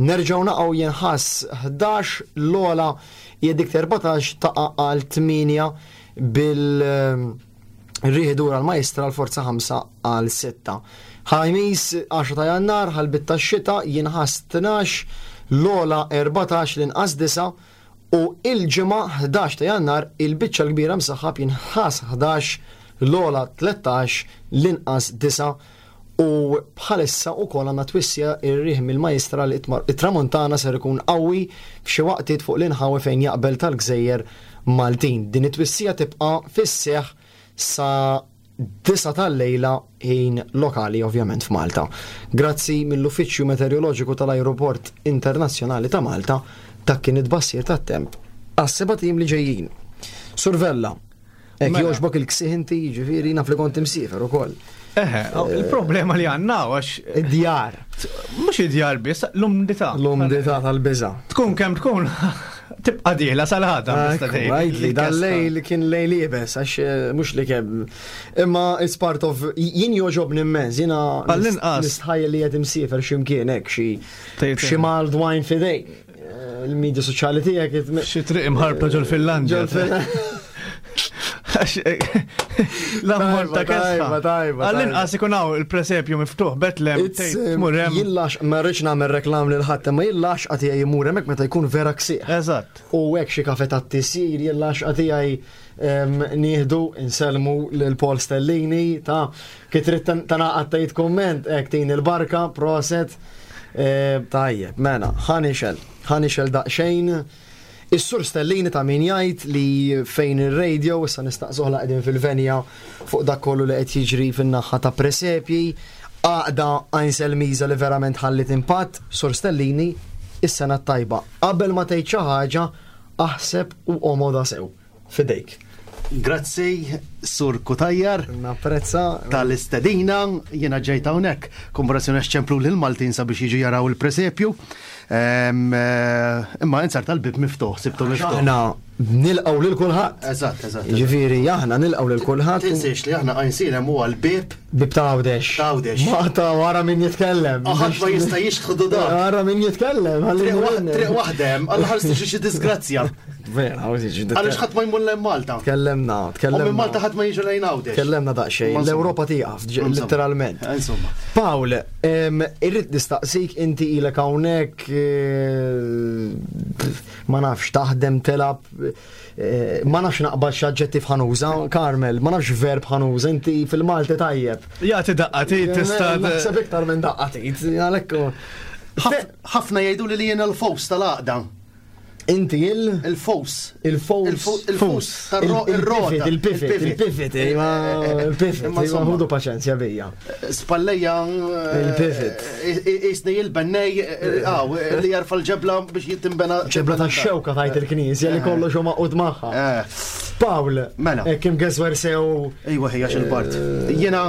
nerġgħu naqgħu jinħass ħdax, l-ogħla hija dik erbatax taqa' għal tmienja bil-riħ dur għal majstra l-forza ħamsa għal sitta. Ħajmis għaxra ta' Jannar ħalbit tax-xita jinħass tnax, l-ogħla erbatax, l-inqas disa' u il-ġimgħa ħdax ta' Jannar il-biċċa l-kbira msaħħab jinħass ħdax, l-ogħla tlettax, l-inqas disa' u bħalissa wkoll għandna twissija ir-riħ mill-majstra li it-tramuntana ser ikun qawwi f'xi waqtiet fuq l-inħawi fejn jaqbel tal-gżejjer Maltin. Din it-twissija tibqa' fis-seħħ sa disa tal-lejla ħin lokali ovvjament f'Malta. Grazzi mill-Uffiċċju Meteoroloġiku tal-Ajruport Internazzjonali ta' Malta, dak kien it-tbassir tat-temp għas-seba' tim li ġejjin. Survella, hekk Mela. jogħġbok il-ksieħ inti, jiġifieri naf li kont imsiefer ukoll. Eħe, il-problema li għandna għax Id-djar. Mhux id-djar biss, l-umdità. L-umdità tal-biża'. Tkun kemm tkun tibqa' dieħla sal-ħata, Ekku, tista' tgħid. għidli, dan Il-kesta. lejl kien lejl iebes, għax, eh, mhux li kemm. Imma it's part of, jien jogħġobni immens, jiena Għall-inqas. nistħajjel li qed imsiefer x'imkien hekk, xi Tgħid xi mulled wine f'idej. Eh, il-medja soċjali tiegħek it- Xi triq imħarbta ġol Finlandja. Ġol Finlandja. Għax, eh, l-ammont ta' Tajba, kesħa. tajba, tajba, Għall-inqas ikun hawn il-presepju miftuħ, Betlem, It's, tgħid, eh, tmur hemm. Jillax, ma rridx nagħmel reklam lil ħadd, imma jillax qed jgħid jmur hemmhekk meta jkun vera ksieħ. Eżatt. U hekk xi kafe tat-tisir, jillax qed jgħid, em, nieħdu insellmu lil Paul Stellini ta' kif trid tan-, tanaqad tgħid kumment, hekk tin il-barka, proset. Eh, tajjeb, mela, ħanixel, ħanixel daqsxejn. Is-Sur Stellini ta' min jgħid li fejn ir-radio issa nistaqsuh la qegħdin fil-venja fuq dak kollu li qed jiġri fin-naħa ta' presepji, għaqda Għajn Miża li verament ħallit impatt, Sur Stellini, is-sena t-tajba. Qabel ma tgħid xi ħaġa, aħseb u omoda sew. Fidejk. Grazzi, Sur Cutajar. Napprezza. Tal-istedina, jiena ġejt hawnhekk. Komparazzjoni għax ċemplu lil Maltin sabiex jiġu jaraw il-presepju. Em, eh, imma insar tal-bib miftuħ, sibtu miftuħ. Aħna nilqgħu lil kulħadd. Eżatt, eżatt. Jiġifieri aħna nilqgħu lil kulħadd. Tinsiex li aħna Għajnsielem huwa l-bib Bib ta' Għawdex. Ta' Għawdex. Ma ta' wara min jitkellem. Ħadd ma jista' jixtħdu dak. Wara min jitkellem, ħalli Triq waħ- nwenni. triq waħda hemm, għal ħares tiġi xi disgrazzja. Vera, għawżi ġi Għaliex ħadd ma jmur lejn Malta. Tkellemna, U tkellemna. minn Malta ħadd ma jiġu lejn Għawdex. Tkellemna daqsxejn. Insomma. L-Ewropa tieqaf, ġ- Insomma. literalment. Insomma. Pawl, em, irrid nistaqsik inti ilek hawnhekk, eh, ma nafx taħdem telab, eh, ma nafx naqbad x'aġġettiv ħanuża, Carmel, ma nafx verb ħanuża, inti fil-Malti tajjeb. Jagħti daqqa tit tista' Naħseb iktar minn daqqa tit, għalhekk. Ħaf- Ħafna jgħidu li li jiena l-fos tal-għaqda. Inti il- Il-fos. Il-fos. Il-fos. Il-fos. Tar-ro- Il-pivot, il-rota. il-pivot, il-pivot, imma il-pivot, Imma imma insomma. ħudu paċenzja bija. Spalleja. Il-pivot. Isni il-bennej, għaw, li jarfa l-ġebla biex jittimbena. Ġebla ta' xewka tajt il-knisja li kollox huma qud magħha. Eh. Pawl, Mela. eh, Kim geswer sew. Ejwa ħija xil-bart. Jiena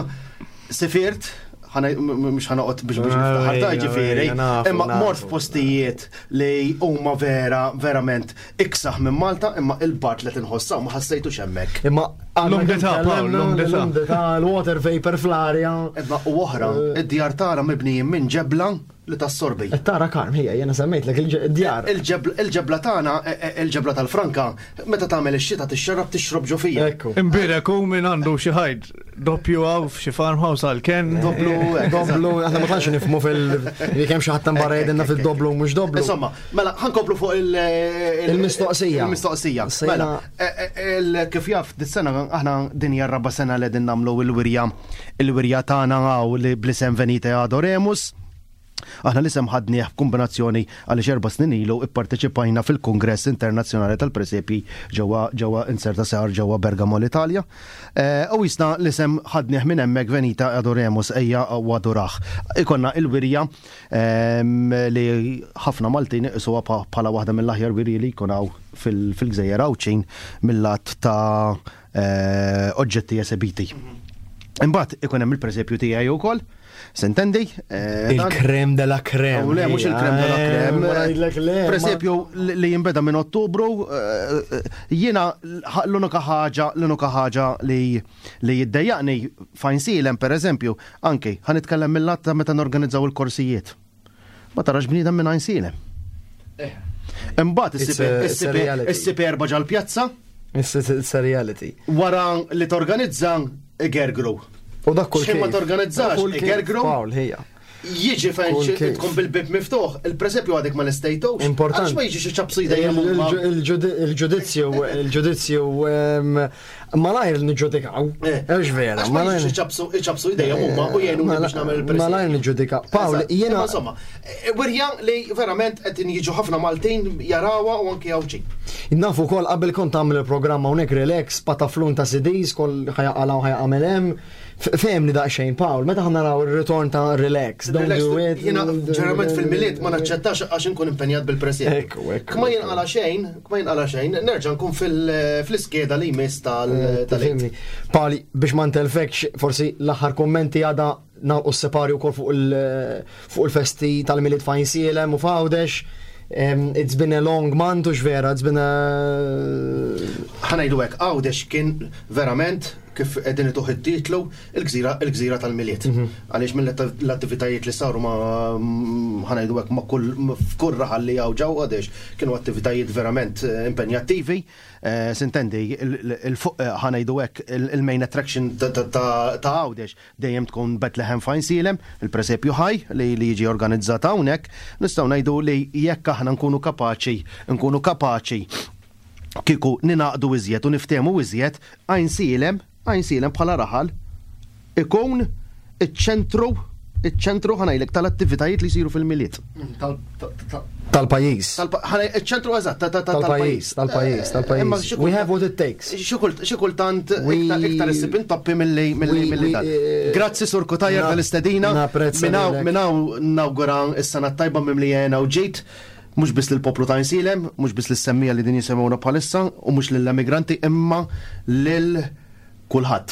sifirt, mhux ħa noqgħod biex biex niftaħar ta' Ejja, ġifieri, ejja, nafu, imma nafu. mort f'postijiet li huma vera verament iksaħ minn Malta, imma il-bard li tinħossa ma ħassejtux hemmhekk. Imma għandna L-umdità, kemm Pawl, tkellimna, l-umdità. L-umdità, l-water vapor fl-arja. Imma u oħra, id-djar tara mibnijin minn ġebla li tassorbi. Qed tara Karm, hija jiena semmejtlek il-djar. Il-ġebla il-ġebla tagħna, e- e- il-ġebla tal-Franka, meta tagħmel ix-xita tixxarrab tixrob ġo fija. Ekku. Imbirek u min għandu xi ħajt doppju għaw f'xi farmhouse għal ken. Doblu, hekk, Doblu, aħna ma tantx nifhmu fil li kemm xi ħadd barra jgħidilna fil-doblu u mhux doblu. Insomma, mela, ħa nkomplu fuq il- il- Il-mistoqsija. Il-mistoqsija. Sejna- Mela, e- e- il- kif jaf, dis-sena aħna din hija r-raba sena li din nagħmlu il-wirja il-wirja tagħna hawn li bl-isem Venite Adoremus. Aħna l-isem ħadnieh f'kombinazzjoni għaliex erba' snin ilu ipparteċipajna fil-Kongress Internazzjonali tal-Presepi ġewwa ġewwa inserta sar ġewwa Bergamo l-Italja. Eh, U jisna l-isem ħadnieh minn hemmhekk Venite Adoremus ejja u adurah. Ikonna il-wirja ehm, li ħafna Maltin iqisuha bħala waħda mill-aħjar wirji li jkun hawn fil- fil-Gżejjer Għawdxin mill-lat ta' eh, oġġetti esebiti. Imbagħad ikun hemm il-presepju tiegħi wkoll. S'intendi? Eh, dan- Il-crème de la crème. U le, mhux il-crème de la crème. Ma ngħidlek le. ma- Presepju li li jinbeda minn Ottubru, eh, eh, jiena l-unika ħaġa, l-unika ħaġa li li jiddejjaqni f'Għajnsielem per eżempju, anki ħa nitkellem mill-lat ta' meta norganizzaw il-korsijiet. Ma tarax bniedem minn Għajnsielem. Imbagħad It's a- it's a reality. issib erba' ġal-pjazza, It's it's a reality. wara li torganizza igergru. U dak kull Xejn ma kif. torganizzax, Kull kif, igergru. Pawl, hija. Jiġi fejn Kull xi- kif. tkun bil-bib miftuħ, il-presepju għadek ma l-istejtux. Important. Għax ma jiġix iċabsu jdejjem huma. Il-ġudizzju, il-ġudizzju, em, malajr niġġudikaw. Ex vera, Għax ma malajr. jiġix iċabsu iċabsu jdejjem huma u jgħinuni biex nagħmel il-presepju. Malajr niġġudikaw. Pawl, Eżatt. jiena. Imma Insomma, eh, wirja li verament qed jiġu ħafna Maltin jarawha u anki Għawdxin. Nafu kol qabel kont tagħmel il-programma hawnhekk relax, pataflun ta' C Ds, kol ħajaqala u ħajaqamel hemm. Fehmni daqsxejn, Pawl, meta ħa naraw ir-ritorn ta' relax, don't Relax, do it. Jiena ġeneralment fil-Milied ma naċċettax għax inkun impenjat bil-presepju. Ekku, ekku, Kma jinqala xejn, kma jinqala xejn, nerġa' nkun fil- fl-iskeda li jmiss tal tal Tifhimni. Pali, biex ma ntelfekx, forsi l-aħħar kommenti għada nagħlqu s-separju wkoll fuq il- fuq il-festi tal-Milied f'Għajnsielem u f'Għawdex. Um, it's been a long month, ux vera, it's been a. Ħa ngħidu hekk, Għawdex kien verament kif qegħdin ituh it-titlu il-gżira il-gżira tal-Milied. Għaliex mill-attivitajiet li saru ma ħa ngħidu hekk ma kull f'kull raħal li hawn ġew Għawdex kienu attivitajiet verament eh, impenjattivi. Eh, S'intendi il-fuq ħa ngħidu hekk il-main attraction ta' ta' Għawdex dejjem tkun Bethlehem f'Għajnsielem, il-presepju ħaj li li jiġi organizzat hawnhekk, nistgħu ngħidu li jekk aħna nkunu kapaċi, nkunu kapaċi kieku ninaqdu iżjed u niftehmu iżjed, Għajnsielem, Għajnsielem bħala raħal, ikun iċ-ċentru, iċ-ċentru ħa ngħidlek tal-attivitajiet li jsiru fil-Milied. Tal-pajjiż. Iċ-ċentru eżatt, ta- ta- ta- Tal-pajjiż, tal-pajjiż, Eh, imma tal-pajjiż. xi We kultant- have what it takes. Xi kult- xi kultant We- iktar iktar issib intoppi milli milli We- milli we- dan. eh, Grazzi Sur Cutajar na- tal-istedina. napprezza Minaw lilek. minaw nawgura is-sena tajba mimlijena u ġejt mhux biss lill-poplu ta' Għajnsielem, mhux biss lis-semmija li din jisemgħuna bħalissa u mhux lill-emigranti imma lil kulħadd.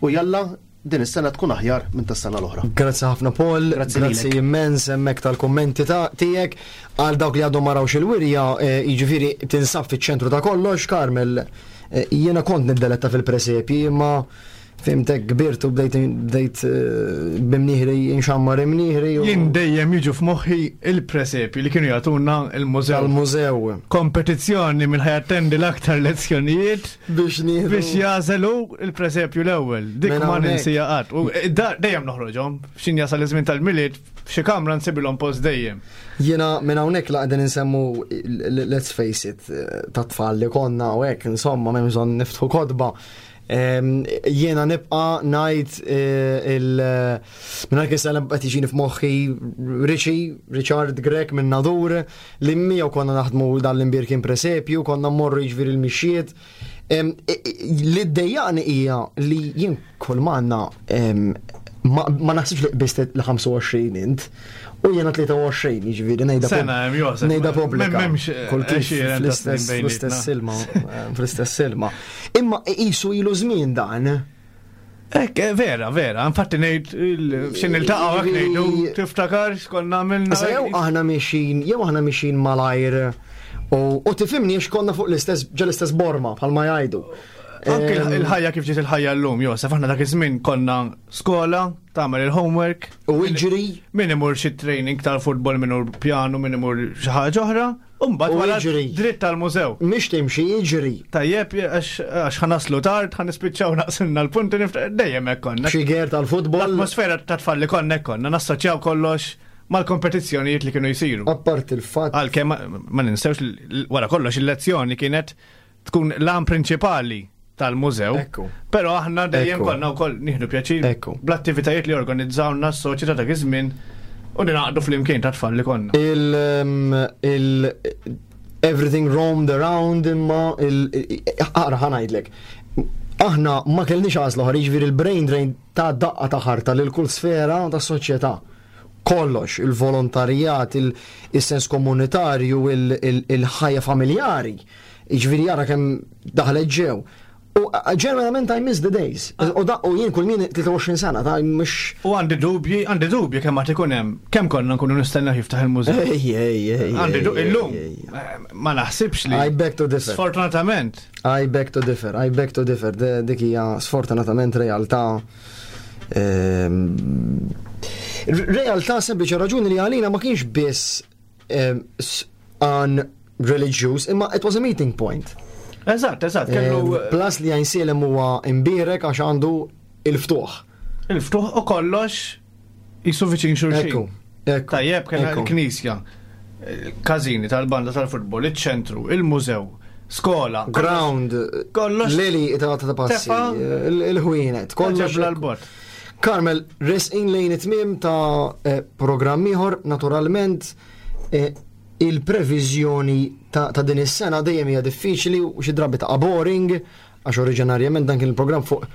U jalla din is-sena tkun aħjar minn tas-sena l-oħra. Grazzi ħafna Paul, Grazzi grazzi lilek. immens hemmhekk tal-kommenti ta' tiegħek għal dawk li għadhom ma rawx il-wirja, eh, jiġifieri tinsab fiċ-ċentru ta' kollox, Carmel, eh, jiena kont niddeletta fil-presepji, imma fimtek kbirt u bdejt bdejt eh, b'imnieħri inxammar imnieħri u Jien dejjem jiġu f'moħħi il-presepi li kienu jagħtuna il-mużew. tal-mużew Kompetizzjoni minn ħa jattendi l-aktar lezzjonijiet biex nieħdu biex jażelu il-presepju l-ewwel. Dik Minn ma hawnhekk. ninsija qatt. U eh, da- dejjem noħroġhom, x'in jasal iż-żmien tal-Milied, f'xi kamra nsibilhom post dejjem. Jiena minn hawnhekk la qegħdin insemmu let's face it ta' tfal li konna u hekk insomma m'hemm bżonn niftħu kotba. Em, Jiena nibqa' ngħid eh, il minn hekk issa qed jiġini f'moħħi Richie, Richard Grech minn Nadur li miegħu konna naħdmu dan l-imbirkin presepju, konna mmorru jiġifieri l-mixjiet. Em, i- i- Li ddejjaqni hija li jien kull m'għandna em, ma ma naħsibx li qbist l-ħamsa u għoxrin int. U jiena tlieta u għoxrin, jiġifieri ngħidha Sena hemm, Josef. Ngħidha pubblika. M'hemmx, eh, Kull kif għexieren ta' snin fl-istess bejnietna. fl-istess ilma, eh, fl-istess ilma. Imma qisu ilu żmien dan. Ek, eh, vera, vera, infatti ngħid x'ħin niltaqgħu hekk ngħidu tiftakar x'konna għamilna. Issa jew aħna mixin, jew aħna mixin malajr u u tifhimni għax konna fuq l-istess ġa l-istess borma bħalma jgħidu. Anke Em, il-ħajja kif ġiet il-ħajja llum, Josef, aħna dak iż-żmien konna skola, tagħmel il-homework, U iġri min imur xi training tal-futbol, min imur pjanu, min imur xi ħaġa oħra, u mbagħad U wara jiġri. dritt tal-mużew. Mhix timxi, jiġri. Tajjeb, għax għax ħa naslu tard, ħa nispiċċaw naqsilna l-punti, nift- dejjem hekk konna. Xi ger tal-futbol. L-atmosfera ta' tfal li konna hekk konna, nassoċjaw kollox mal-kompetizzjonijiet li kienu jsiru. Apart il-fatt Għalkemm ma- ma ninsewx li- wara kollox il-lezzjoni kienet tkun l-għan prinċipali tal-mużew. Ekku. Però aħna dejjem Ekku. konna wkoll nieħdu pjaċir Ekku. bl-attivitajiet li organizzawna s-soċjetà dak iż-żmien u ninaqdu flimkien ta' tfal li konna. il um, il everything roamed around imma il aqra ħa ngħidlek. Aħna ma kellniex għażla oħra, jiġifieri il-brain drain ta' daqqa ta' ħarta lil kull sfera ta' soċjetà. Kollox, il-volontarijat, il- il-sens komunitarju, il- il- il-ħajja familjari. Jiġifieri jara kemm daħlet ġew. U ġeneralment I miss the days. U da u jien kull min tlieta u għoxrin sena ta' mhux U għandi dubji, għandi dubji kemm għad ikun hemm, kemm konna nkunu nistenna jiftaħ il-mużew. Ej, ej, ej. Għandi ej, dubji ej, illum. ej. eh, Ma naħsibx li. I beg to differ. Sfortunatament. I beg to differ, I beg to differ. De- Dik hija sfortunatament realtà. ehm, Realtà sempliċi raġuni li għalina ma kienx biss ehm, s- an religious, imma it was a meeting point. Eżatt, eżatt, kellu Ehm, Plus li Għajnsielem huwa imbierek għax għandu il-ftuħ. il-ftuħ u kollox jisu viċin xulxin. Ekku, ekku. Tajjeb, kien ekku. il-knisja, il-każini tal-banda tal-futbol, il-ċentru, il-mużew, skola. Ground, Kollox. Leli ta' ta' passi, Tefa. il- il-ħwienet, kollox. Ġebla l-bot. Carmel, resqin lejn it-tmiem ta' eh, programm ieħor, naturalment, eh, il-previżjoni ta', ta' din is-sena dejjem hija diffiċli u xi drabi ta' boring, għax oriġinarjament dan kien il-programm fuq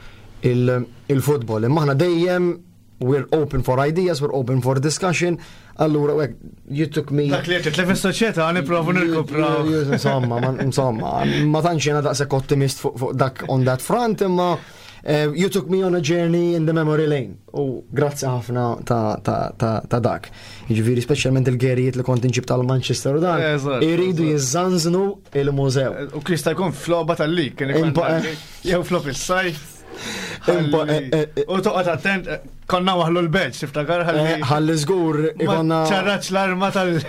il- il-futbol. Imma aħna dejjem we're open for ideas, we're open for discussion. Allura, hekk, you took me. Dak li qed titlef is-soċjetà nipprovu nirkupraw. Insomma, ma- insomma, ma tantx jiena daqshekk ottimist fuq fuq dak on that front, imma eh, you took me on a journey in the memory lane. U grazzi ħafna ta' ta' ta' ta' dak. Jiġifieri speċjalment il-gerijiet li kont inġib tal-Manchester u dan, Eżatt, iridu eżatt. jiżżanżnu il-mużew. U kista jkun f'logħba tal-lig, kien ikun Impa- tal-lig, jew flop is-sajf. Impa- Ħalli- eh, eh, U toqgħod attent, eh, konna waħlu l-badge, tiftakar Eh, ħalli. Ħalli żgur Ma ikonna. ċarraċ l-arma tal-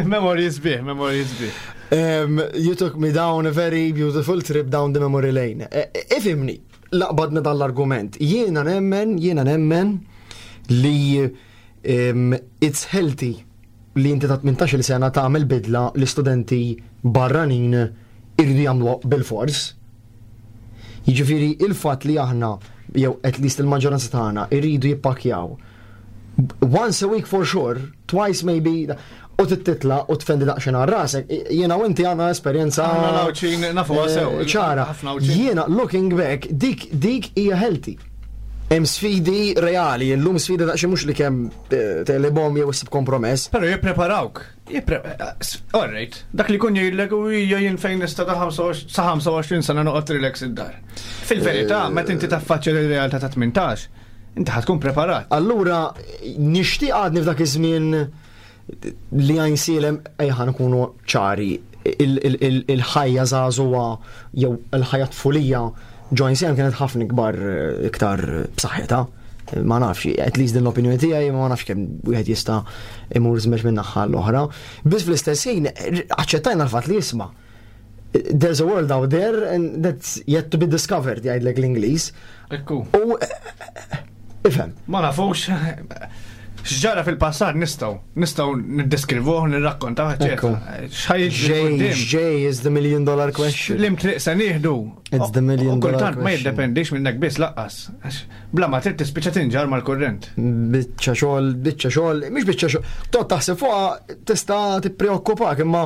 Memories bih, memories bih. Um, you took me down a very beautiful trip down the memory lane. Eh, eh, Ifhimni, laqbadna dal-argument. Jiena nemmen, jiena nemmen li um, it's healthy li inti ta' tmintax-il sena tagħmel bidla li studenti barranin irridu jagħmlu bil-fors. Jiġifieri il-fatt li aħna jew at least il-maġġoranza tagħna irridu jippakjaw once a week for sure, twice maybe, u titla u tfendi daqsxejn għal rasek. Jiena u inti għandna esperjenza. Aħna l-Għawdxin nafuha sew. eh, ċara. Ħafna Għawdxin. Jiena looking back, dik dik hija healthy. Hemm sfidi reali, illum sfidi daqsxejn mhux li kemm eh, telebom jew issib kompromess. Pero jippreparawk. Jippre... All right. Dak li kun jgħidlek u hija jien fejn nista' ta' ħamsa u għoxrin sa ħamsa u għoxrin sena noqgħod relax id-dar. Fil-verità, meta inti taffaċċja l-realtà ta' tmintax, inti ħa tkun preparat. Allura nixtieq għadni f'dak iż-żmien li Għajnsielem ejja nkunu ċari il- il- il- il-ħajja żagħżugħa jew il-ħajja tfulija ġo Għajnsielem kienet ħafna ikbar eh, iktar b'saħħitha. Ma nafx, at least din l-opinjoni tiegħi ma nafx kemm wieħed jista' imur żmeġ minn naħa l-oħra. Biss fl-istess ħin aċċettajna l-fatt li jisma' there's a world out there and that's yet to be discovered jgħidlek l-Ingliż. Ekku. U eh, ifhem. Ma nafux x'ġara fil-passat nistgħu nistgħu niddeskrivuh, nirrakkontaw, Ekku. eċetera. X'ħa jiġri J, quddiem? J is the million dollar question. Lim triq se nieħdu. It's the million U kultant dollar ma question. jiddependix minnek biss laqqas. Għax bla ma trid tispiċċa tinġar mal-kurrent. Biċċa xogħol, biċċa xogħol, mhix biċċa xogħol. Tot taħseb fuqha tista' tippreokkupak imma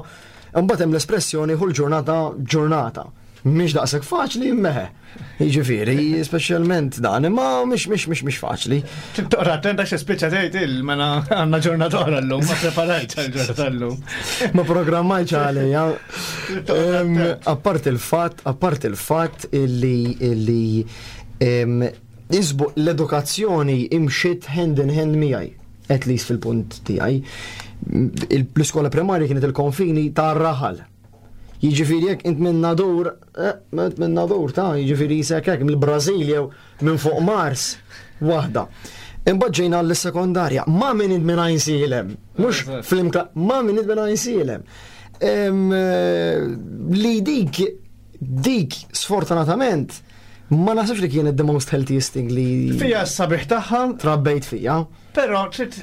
mbagħad hemm l-espressjoni ħu l-ġurnata ġurnata. Mhix daqshekk faċli meħe. Jiġifieri, speċjalment dan, imma mhix mhix mhix mhix faċli. Toqra attenta xi spiċċa tgħid il mela għandna ġurnata oħra llum, ma preparajtx għal-ġurnata llum. Ma programmajtx għalija. Em, Apart il-fatt, apart il-fatt illi illi em, isbu l-edukazzjoni imxiet hand in hand miegħi, at least fil-punt tiegħi. Il- L-iskola primarja kienet il-konfini tar-raħal. Jiġifieri jekk int minn Nadur, eh, int minn Nadur ta' jiġifieri jisek hekk mill-Brażil jew minn fuq Mars, waħda. Imbagħad ġejna l-sekondarja, ma minn int minn Għajnsielem, mhux Eżatt. fl-imkla, ma minn int minn Għajnsielem. Em, eh, Li dik, dik sfortunatament, ma naħsibx li kienet the most healthiest thing li Fija s-sabiħ tagħha, trabbejt fija. però trid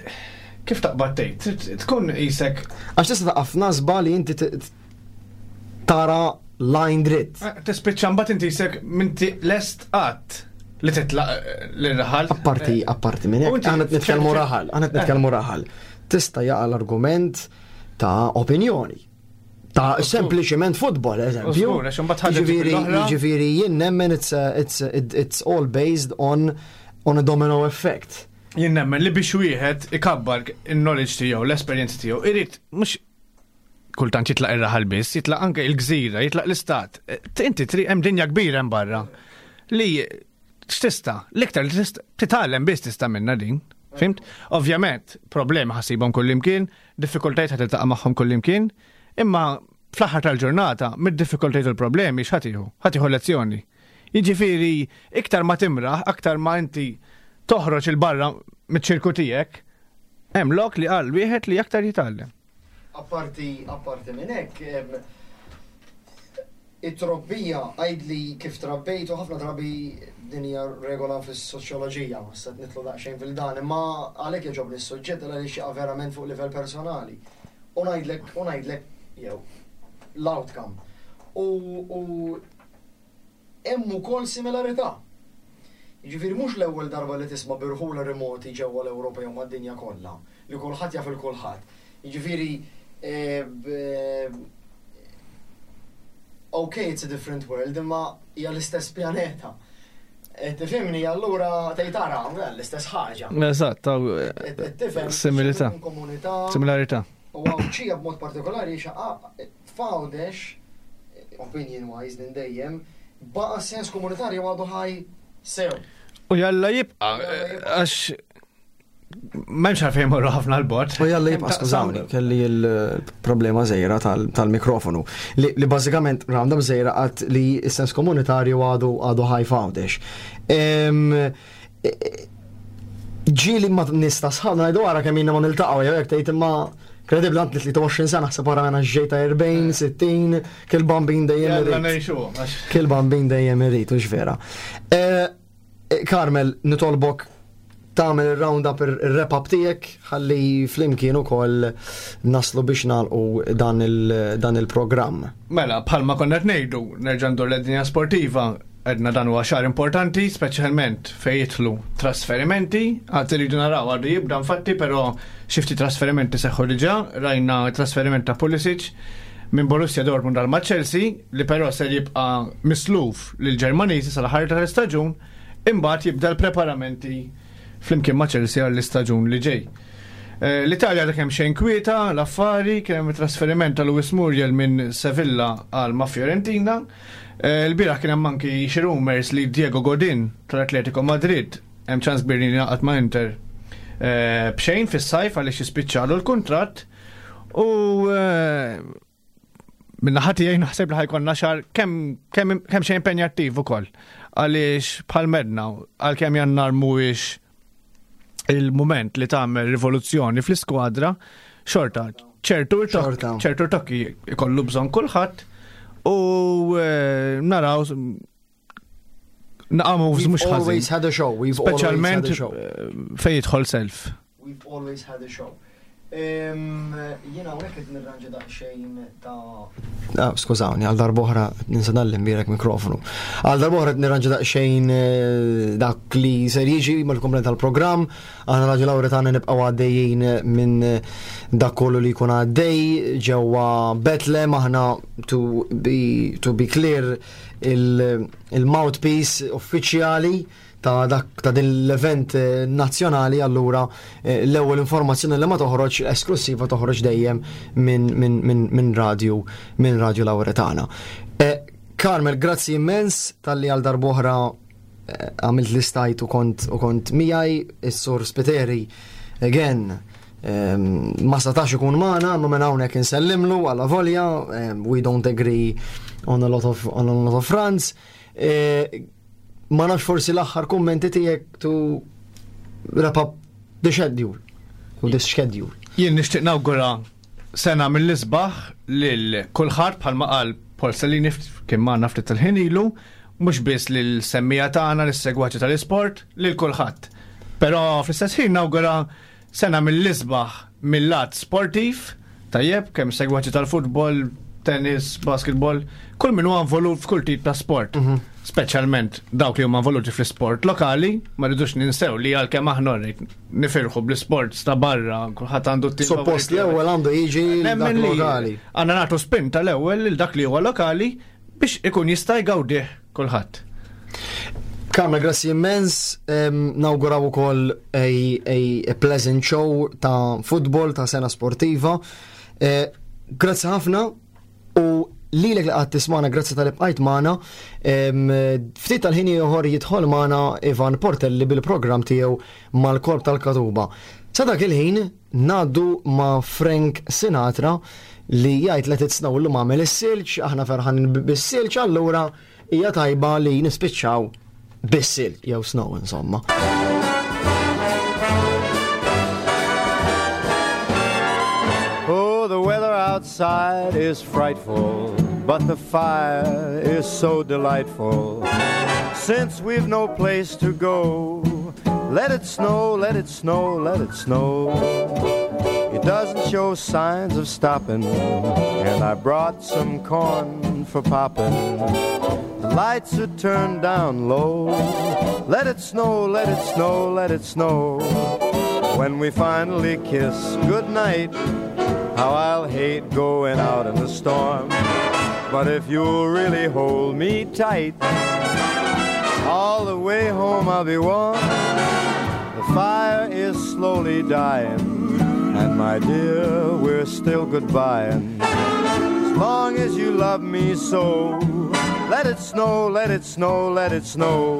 kif taqbad tgħid, trid tkun qisek Għax tista' taqaf nasba li inti t- t- tara line dritt. eh, tispiċċa mbagħad inti qisek minti lest qatt li titlaq eh, l-raħal. Apparti, apparti minn U hekk, inti- aħna qed nitkellmu ċer- raħal, aħna qed nitkellmu raħal. Tista' jaqa' l-argument ta' opinjoni. Ta' sempliċiment futbol, eżempju. Żgur, għax imbagħad ħaġa ġib Jiġifieri, l-oħra. jiġifieri jien nemmen it's, a- it's, a- it- it's all based on on a domino effect. Jien nemmen li biex wieħed ikabbar il-knowledge tiegħu, l-esperjenza tiegħu, irid mhux kultant jitlaq ir-raħal biss, jitlaq anke il-gżira, jitlaq l-istat. Eh, Inti tri hemm dinja kbira hemm barra li x'tista' l-iktar li tista' titgħallem biss tista' minna din. Fhimt? Ovvjament, problemi ħa ssibhom kullimkien, diffikultajiet ħa tiltaqa' magħhom kullimkien, imma fl-aħħar tal-ġurnata, mid-diffikultajiet u l-problemi x'ħa tieħu? Ħa tieħu lezzjoni. Jiġifieri, iktar ma timraħ, aktar ma inti toħroġ il-barra miċ-ċirku tiegħek, hemm lok li qal wieħed li aktar jitgħallem. Apparti, apparti minn hekk, em, it-trobbija għajdli kif trabbejt u ħafna drabi din hija regola fis-soċjoloġija, ma se nidħlu daqsxejn fil-dan, imma għalhekk jogħġobni s-suġġett għaliex jaqa' verament fuq livell personali. U ngħidlek, u ngħidlek jew l-outcome. U u hemm ukoll similarità. Jiġifieri mhux l-ewwel darba li tisma' b'irħula remoti ġewwa l-Ewropa jew mad-dinja kollha, li kulħadd jaf il kulħadd. Jiġifieri eh, b- okay, it's a different world, imma hija l-istess pjaneta. Eh, Tifhimni, allura tgħid tara l-istess ħaġa. Eżatt, Qed tifhem Similità. komunità Similarità. u Għawdxija b'mod partikolari xaqa f'Għawdex, opinion wise din dejjem, baqa sens komunitarju għadu ħaj sew. U jalla jibqa, għax m'hemmx għalfejn morru ħafna l-bot. U jalla jibqa, skużawni, kelli il-problema żgħira tal-mikrofonu. Li, li bażikament round-up żgħira għat li s-sens komunitarju għadu għadu ħaj f'Għawdex. Em, e- e- Ġieli ma nista sħabna ngħidu għara kemm ilna ma niltaqgħu jew hekk tgħid imma kredibbli għand tlieta u għoxrin sena ħseb wara mena ġejta erbgħin, sittin, kull bambin dejjem Jalla irid. ngħixu, għax Kull bambin dejjem irid, u vera. Eh, eh, Carmel, nitolbok tagħmel il-round-up ir-wrap-up tiegħek ħalli flimkien ukoll naslu biex nagħlqu dan il- dan il-programm. Mela, bħalma konna qed ngħidu, nerġa' ndur l-dinja sportiva, għedna dan huwa xahar importanti, speċjalment fejn jidħlu trasferimenti, għad iridu naraw għadu jibda infatti, però xi ftit trasferimenti seħħu diġà, rajna trasferiment ta' Pulisic minn Borussia Dortmund għal ma' Chelsea, li però ser jibqa' misluf lil Ġermaniżi sal-aħħar tal-istaġun, imbagħad jibda l-preparamenti flimkien ma' Chelsea għall-istaġun li ġej. Eh, L-Italja dak hemm xejn kwieta, l-affari, kien hemm trasferiment ta' Luis Muriel minn Sevilla għal ma' Fiorentina. Eh, L-bieraħ kien hemm anki xi rumors li Diego Godin tal-Atletico Madrid hemm ċans kbir li jingħaqad ma' Inter eh, b'xejn fis-sajf għaliex jispiċċalu l-kuntratt u eh, minna ħati jgħin naħseb li ħa jkollna xahar kemm kemm kemm xejn impenjattiv ukoll. Għaliex bħal medna, għalkemm Jannar mhuwiex il-moment li tagħmel rivoluzzjoni fl-iskwadra, xorta, ċertu Xorta. ċertu tokki ikollu bżonn kulħadd u eh, naraw naqa moves We've mhux ħażin. always had a show. We've always had Speċjalment a show. eh, fejn jidħol self. We've always had a show. Jiena hawnhekk qed nirranġa daqsxejn ta' Ah, skużawni, għal darb'oħra ninsa dal-imbierek mikrofonu. Għal darb'oħra qed nirranġa daqsxejn eh, dak li ser jiġi mal-komplement tal-programm. Aħna Raġu Lawretana nibqgħu għaddejjin minn dak kollu li jkun għaddej ġewwa Betlem. Aħna, to be, to be clear, il-mouthpiece uffiċjali ta' dak ta' din l-event eh, nazzjonali, allura eh, l-ewwel informazzjoni li ma toħroġ esklusiva toħroġ dejjem minn min, min, min radio minn Radio Lawretana. Eh, Carmel, grazzi immens talli għal darb'oħra għamilt l-istajt u kont u kont miegħi. Is-Sur Spiteri again ma setax ikun magħna, ma minn hawnhekk insellimlu għala volja we don't agree on a lot of on a lot of fronts. Ma nafx, forsi l-aħħar kummenti tiegħek to wrap up the schedule u this schedule. Jien nixtieq nawgura sena mill-isbaħ lil kulħadd, bħalma qal Paul Salini kien magħna ftit tal-ħin ilu, mhux biss lil semmiegħa tagħna, lis-segwaċi tal-isport, lil kulħadd. Però fl-istess ħin nawgura sena mill-isbaħ mill-lat sportiv, tajjeb, kemm segwaċi tal-futbol, tennis, basketball, kull min huwa involut f'kull tip ta' sport. Mhm. Speċjalment dawk li huma involuti fl-sport lokali, ma rridux ninsew li għalkemm aħna nifirħu bl-sport ta' barra, kulħadd għandu t Suppost l-ewwel għandu jiġi dak lokali. Għandna nagħtu spinta l-ewwel lil dak li huwa lokali biex ikun jista' jgawdih kulħadd. Carmel, grazzi immens, nawguraw ukoll a, a, a pleasant show ta' football, ta' sena sportiva. Eh, grazzi ħafna u lilek li qed tismagħna, grazzi talli bqajt magħna. Ftit tal-ħin ieħor jidħol magħna Ivan Portelli bil-programm tiegħu mal-Korp tal-Katuba. Sa dak il-ħin ngħaddu ma' Frank Sinatra li jgħid "Let it snow". Illum għamel is-silġ, aħna ferħan bis-silġ, allura hija tajba li nispiċċaw bis-silġ jew snow insomma. Oh, the weather outside is frightful, but the fire is so delightful. Since we've no place to go, let it snow, let it snow, let it snow. It doesn't show signs of stopping, and I brought some corn for popping. The lights are turned down low. Let it snow, let it snow, let it snow. When we finally kiss goodnight, how I'll hate going out in the storm. But if you'll really hold me tight, all the way home I'll be warm. The fire is slowly dying, and my dear, we're still goodbying. As long as you love me so, let it snow, let it snow, let it snow.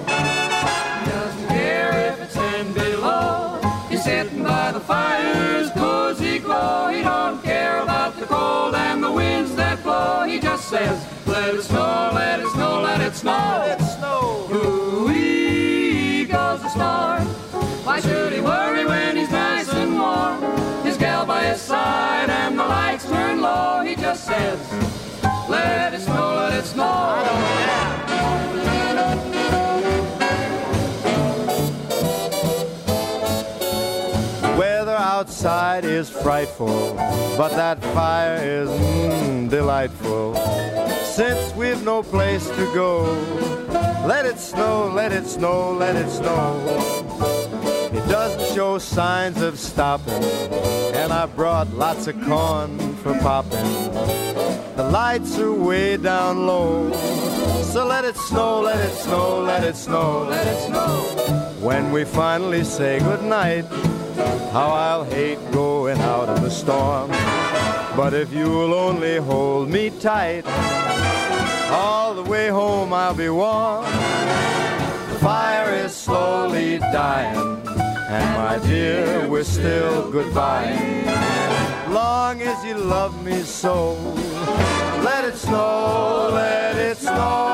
He doesn't care if it's ten below. He's sitting by the fire's cozy glow. He don't care about the cold and the winds that blow. He just says, "Let it snow, let it snow, let it snow." Let it snow. Ooh-wee goes the storm. Why should he worry when he's nice and warm? His gal by his side and the lights turn low. He just says, "Let it snow, let it snow." I don't care. Weather outside is frightful, but that fire is mm, delightful. Since we've no place to go, let it snow, let it snow, let it snow. It doesn't show signs of stopping, and I brought lots of corn for popping. The lights are way down low, so let it snow, let it snow, let it snow, let it snow. When we finally say goodnight, how I'll hate going out in the storm. But if you'll only hold me tight, all the way home I'll be warm. The fire is slowly dying, and my dear, we're still goodbye. Long as you love me so, let it snow, let it snow.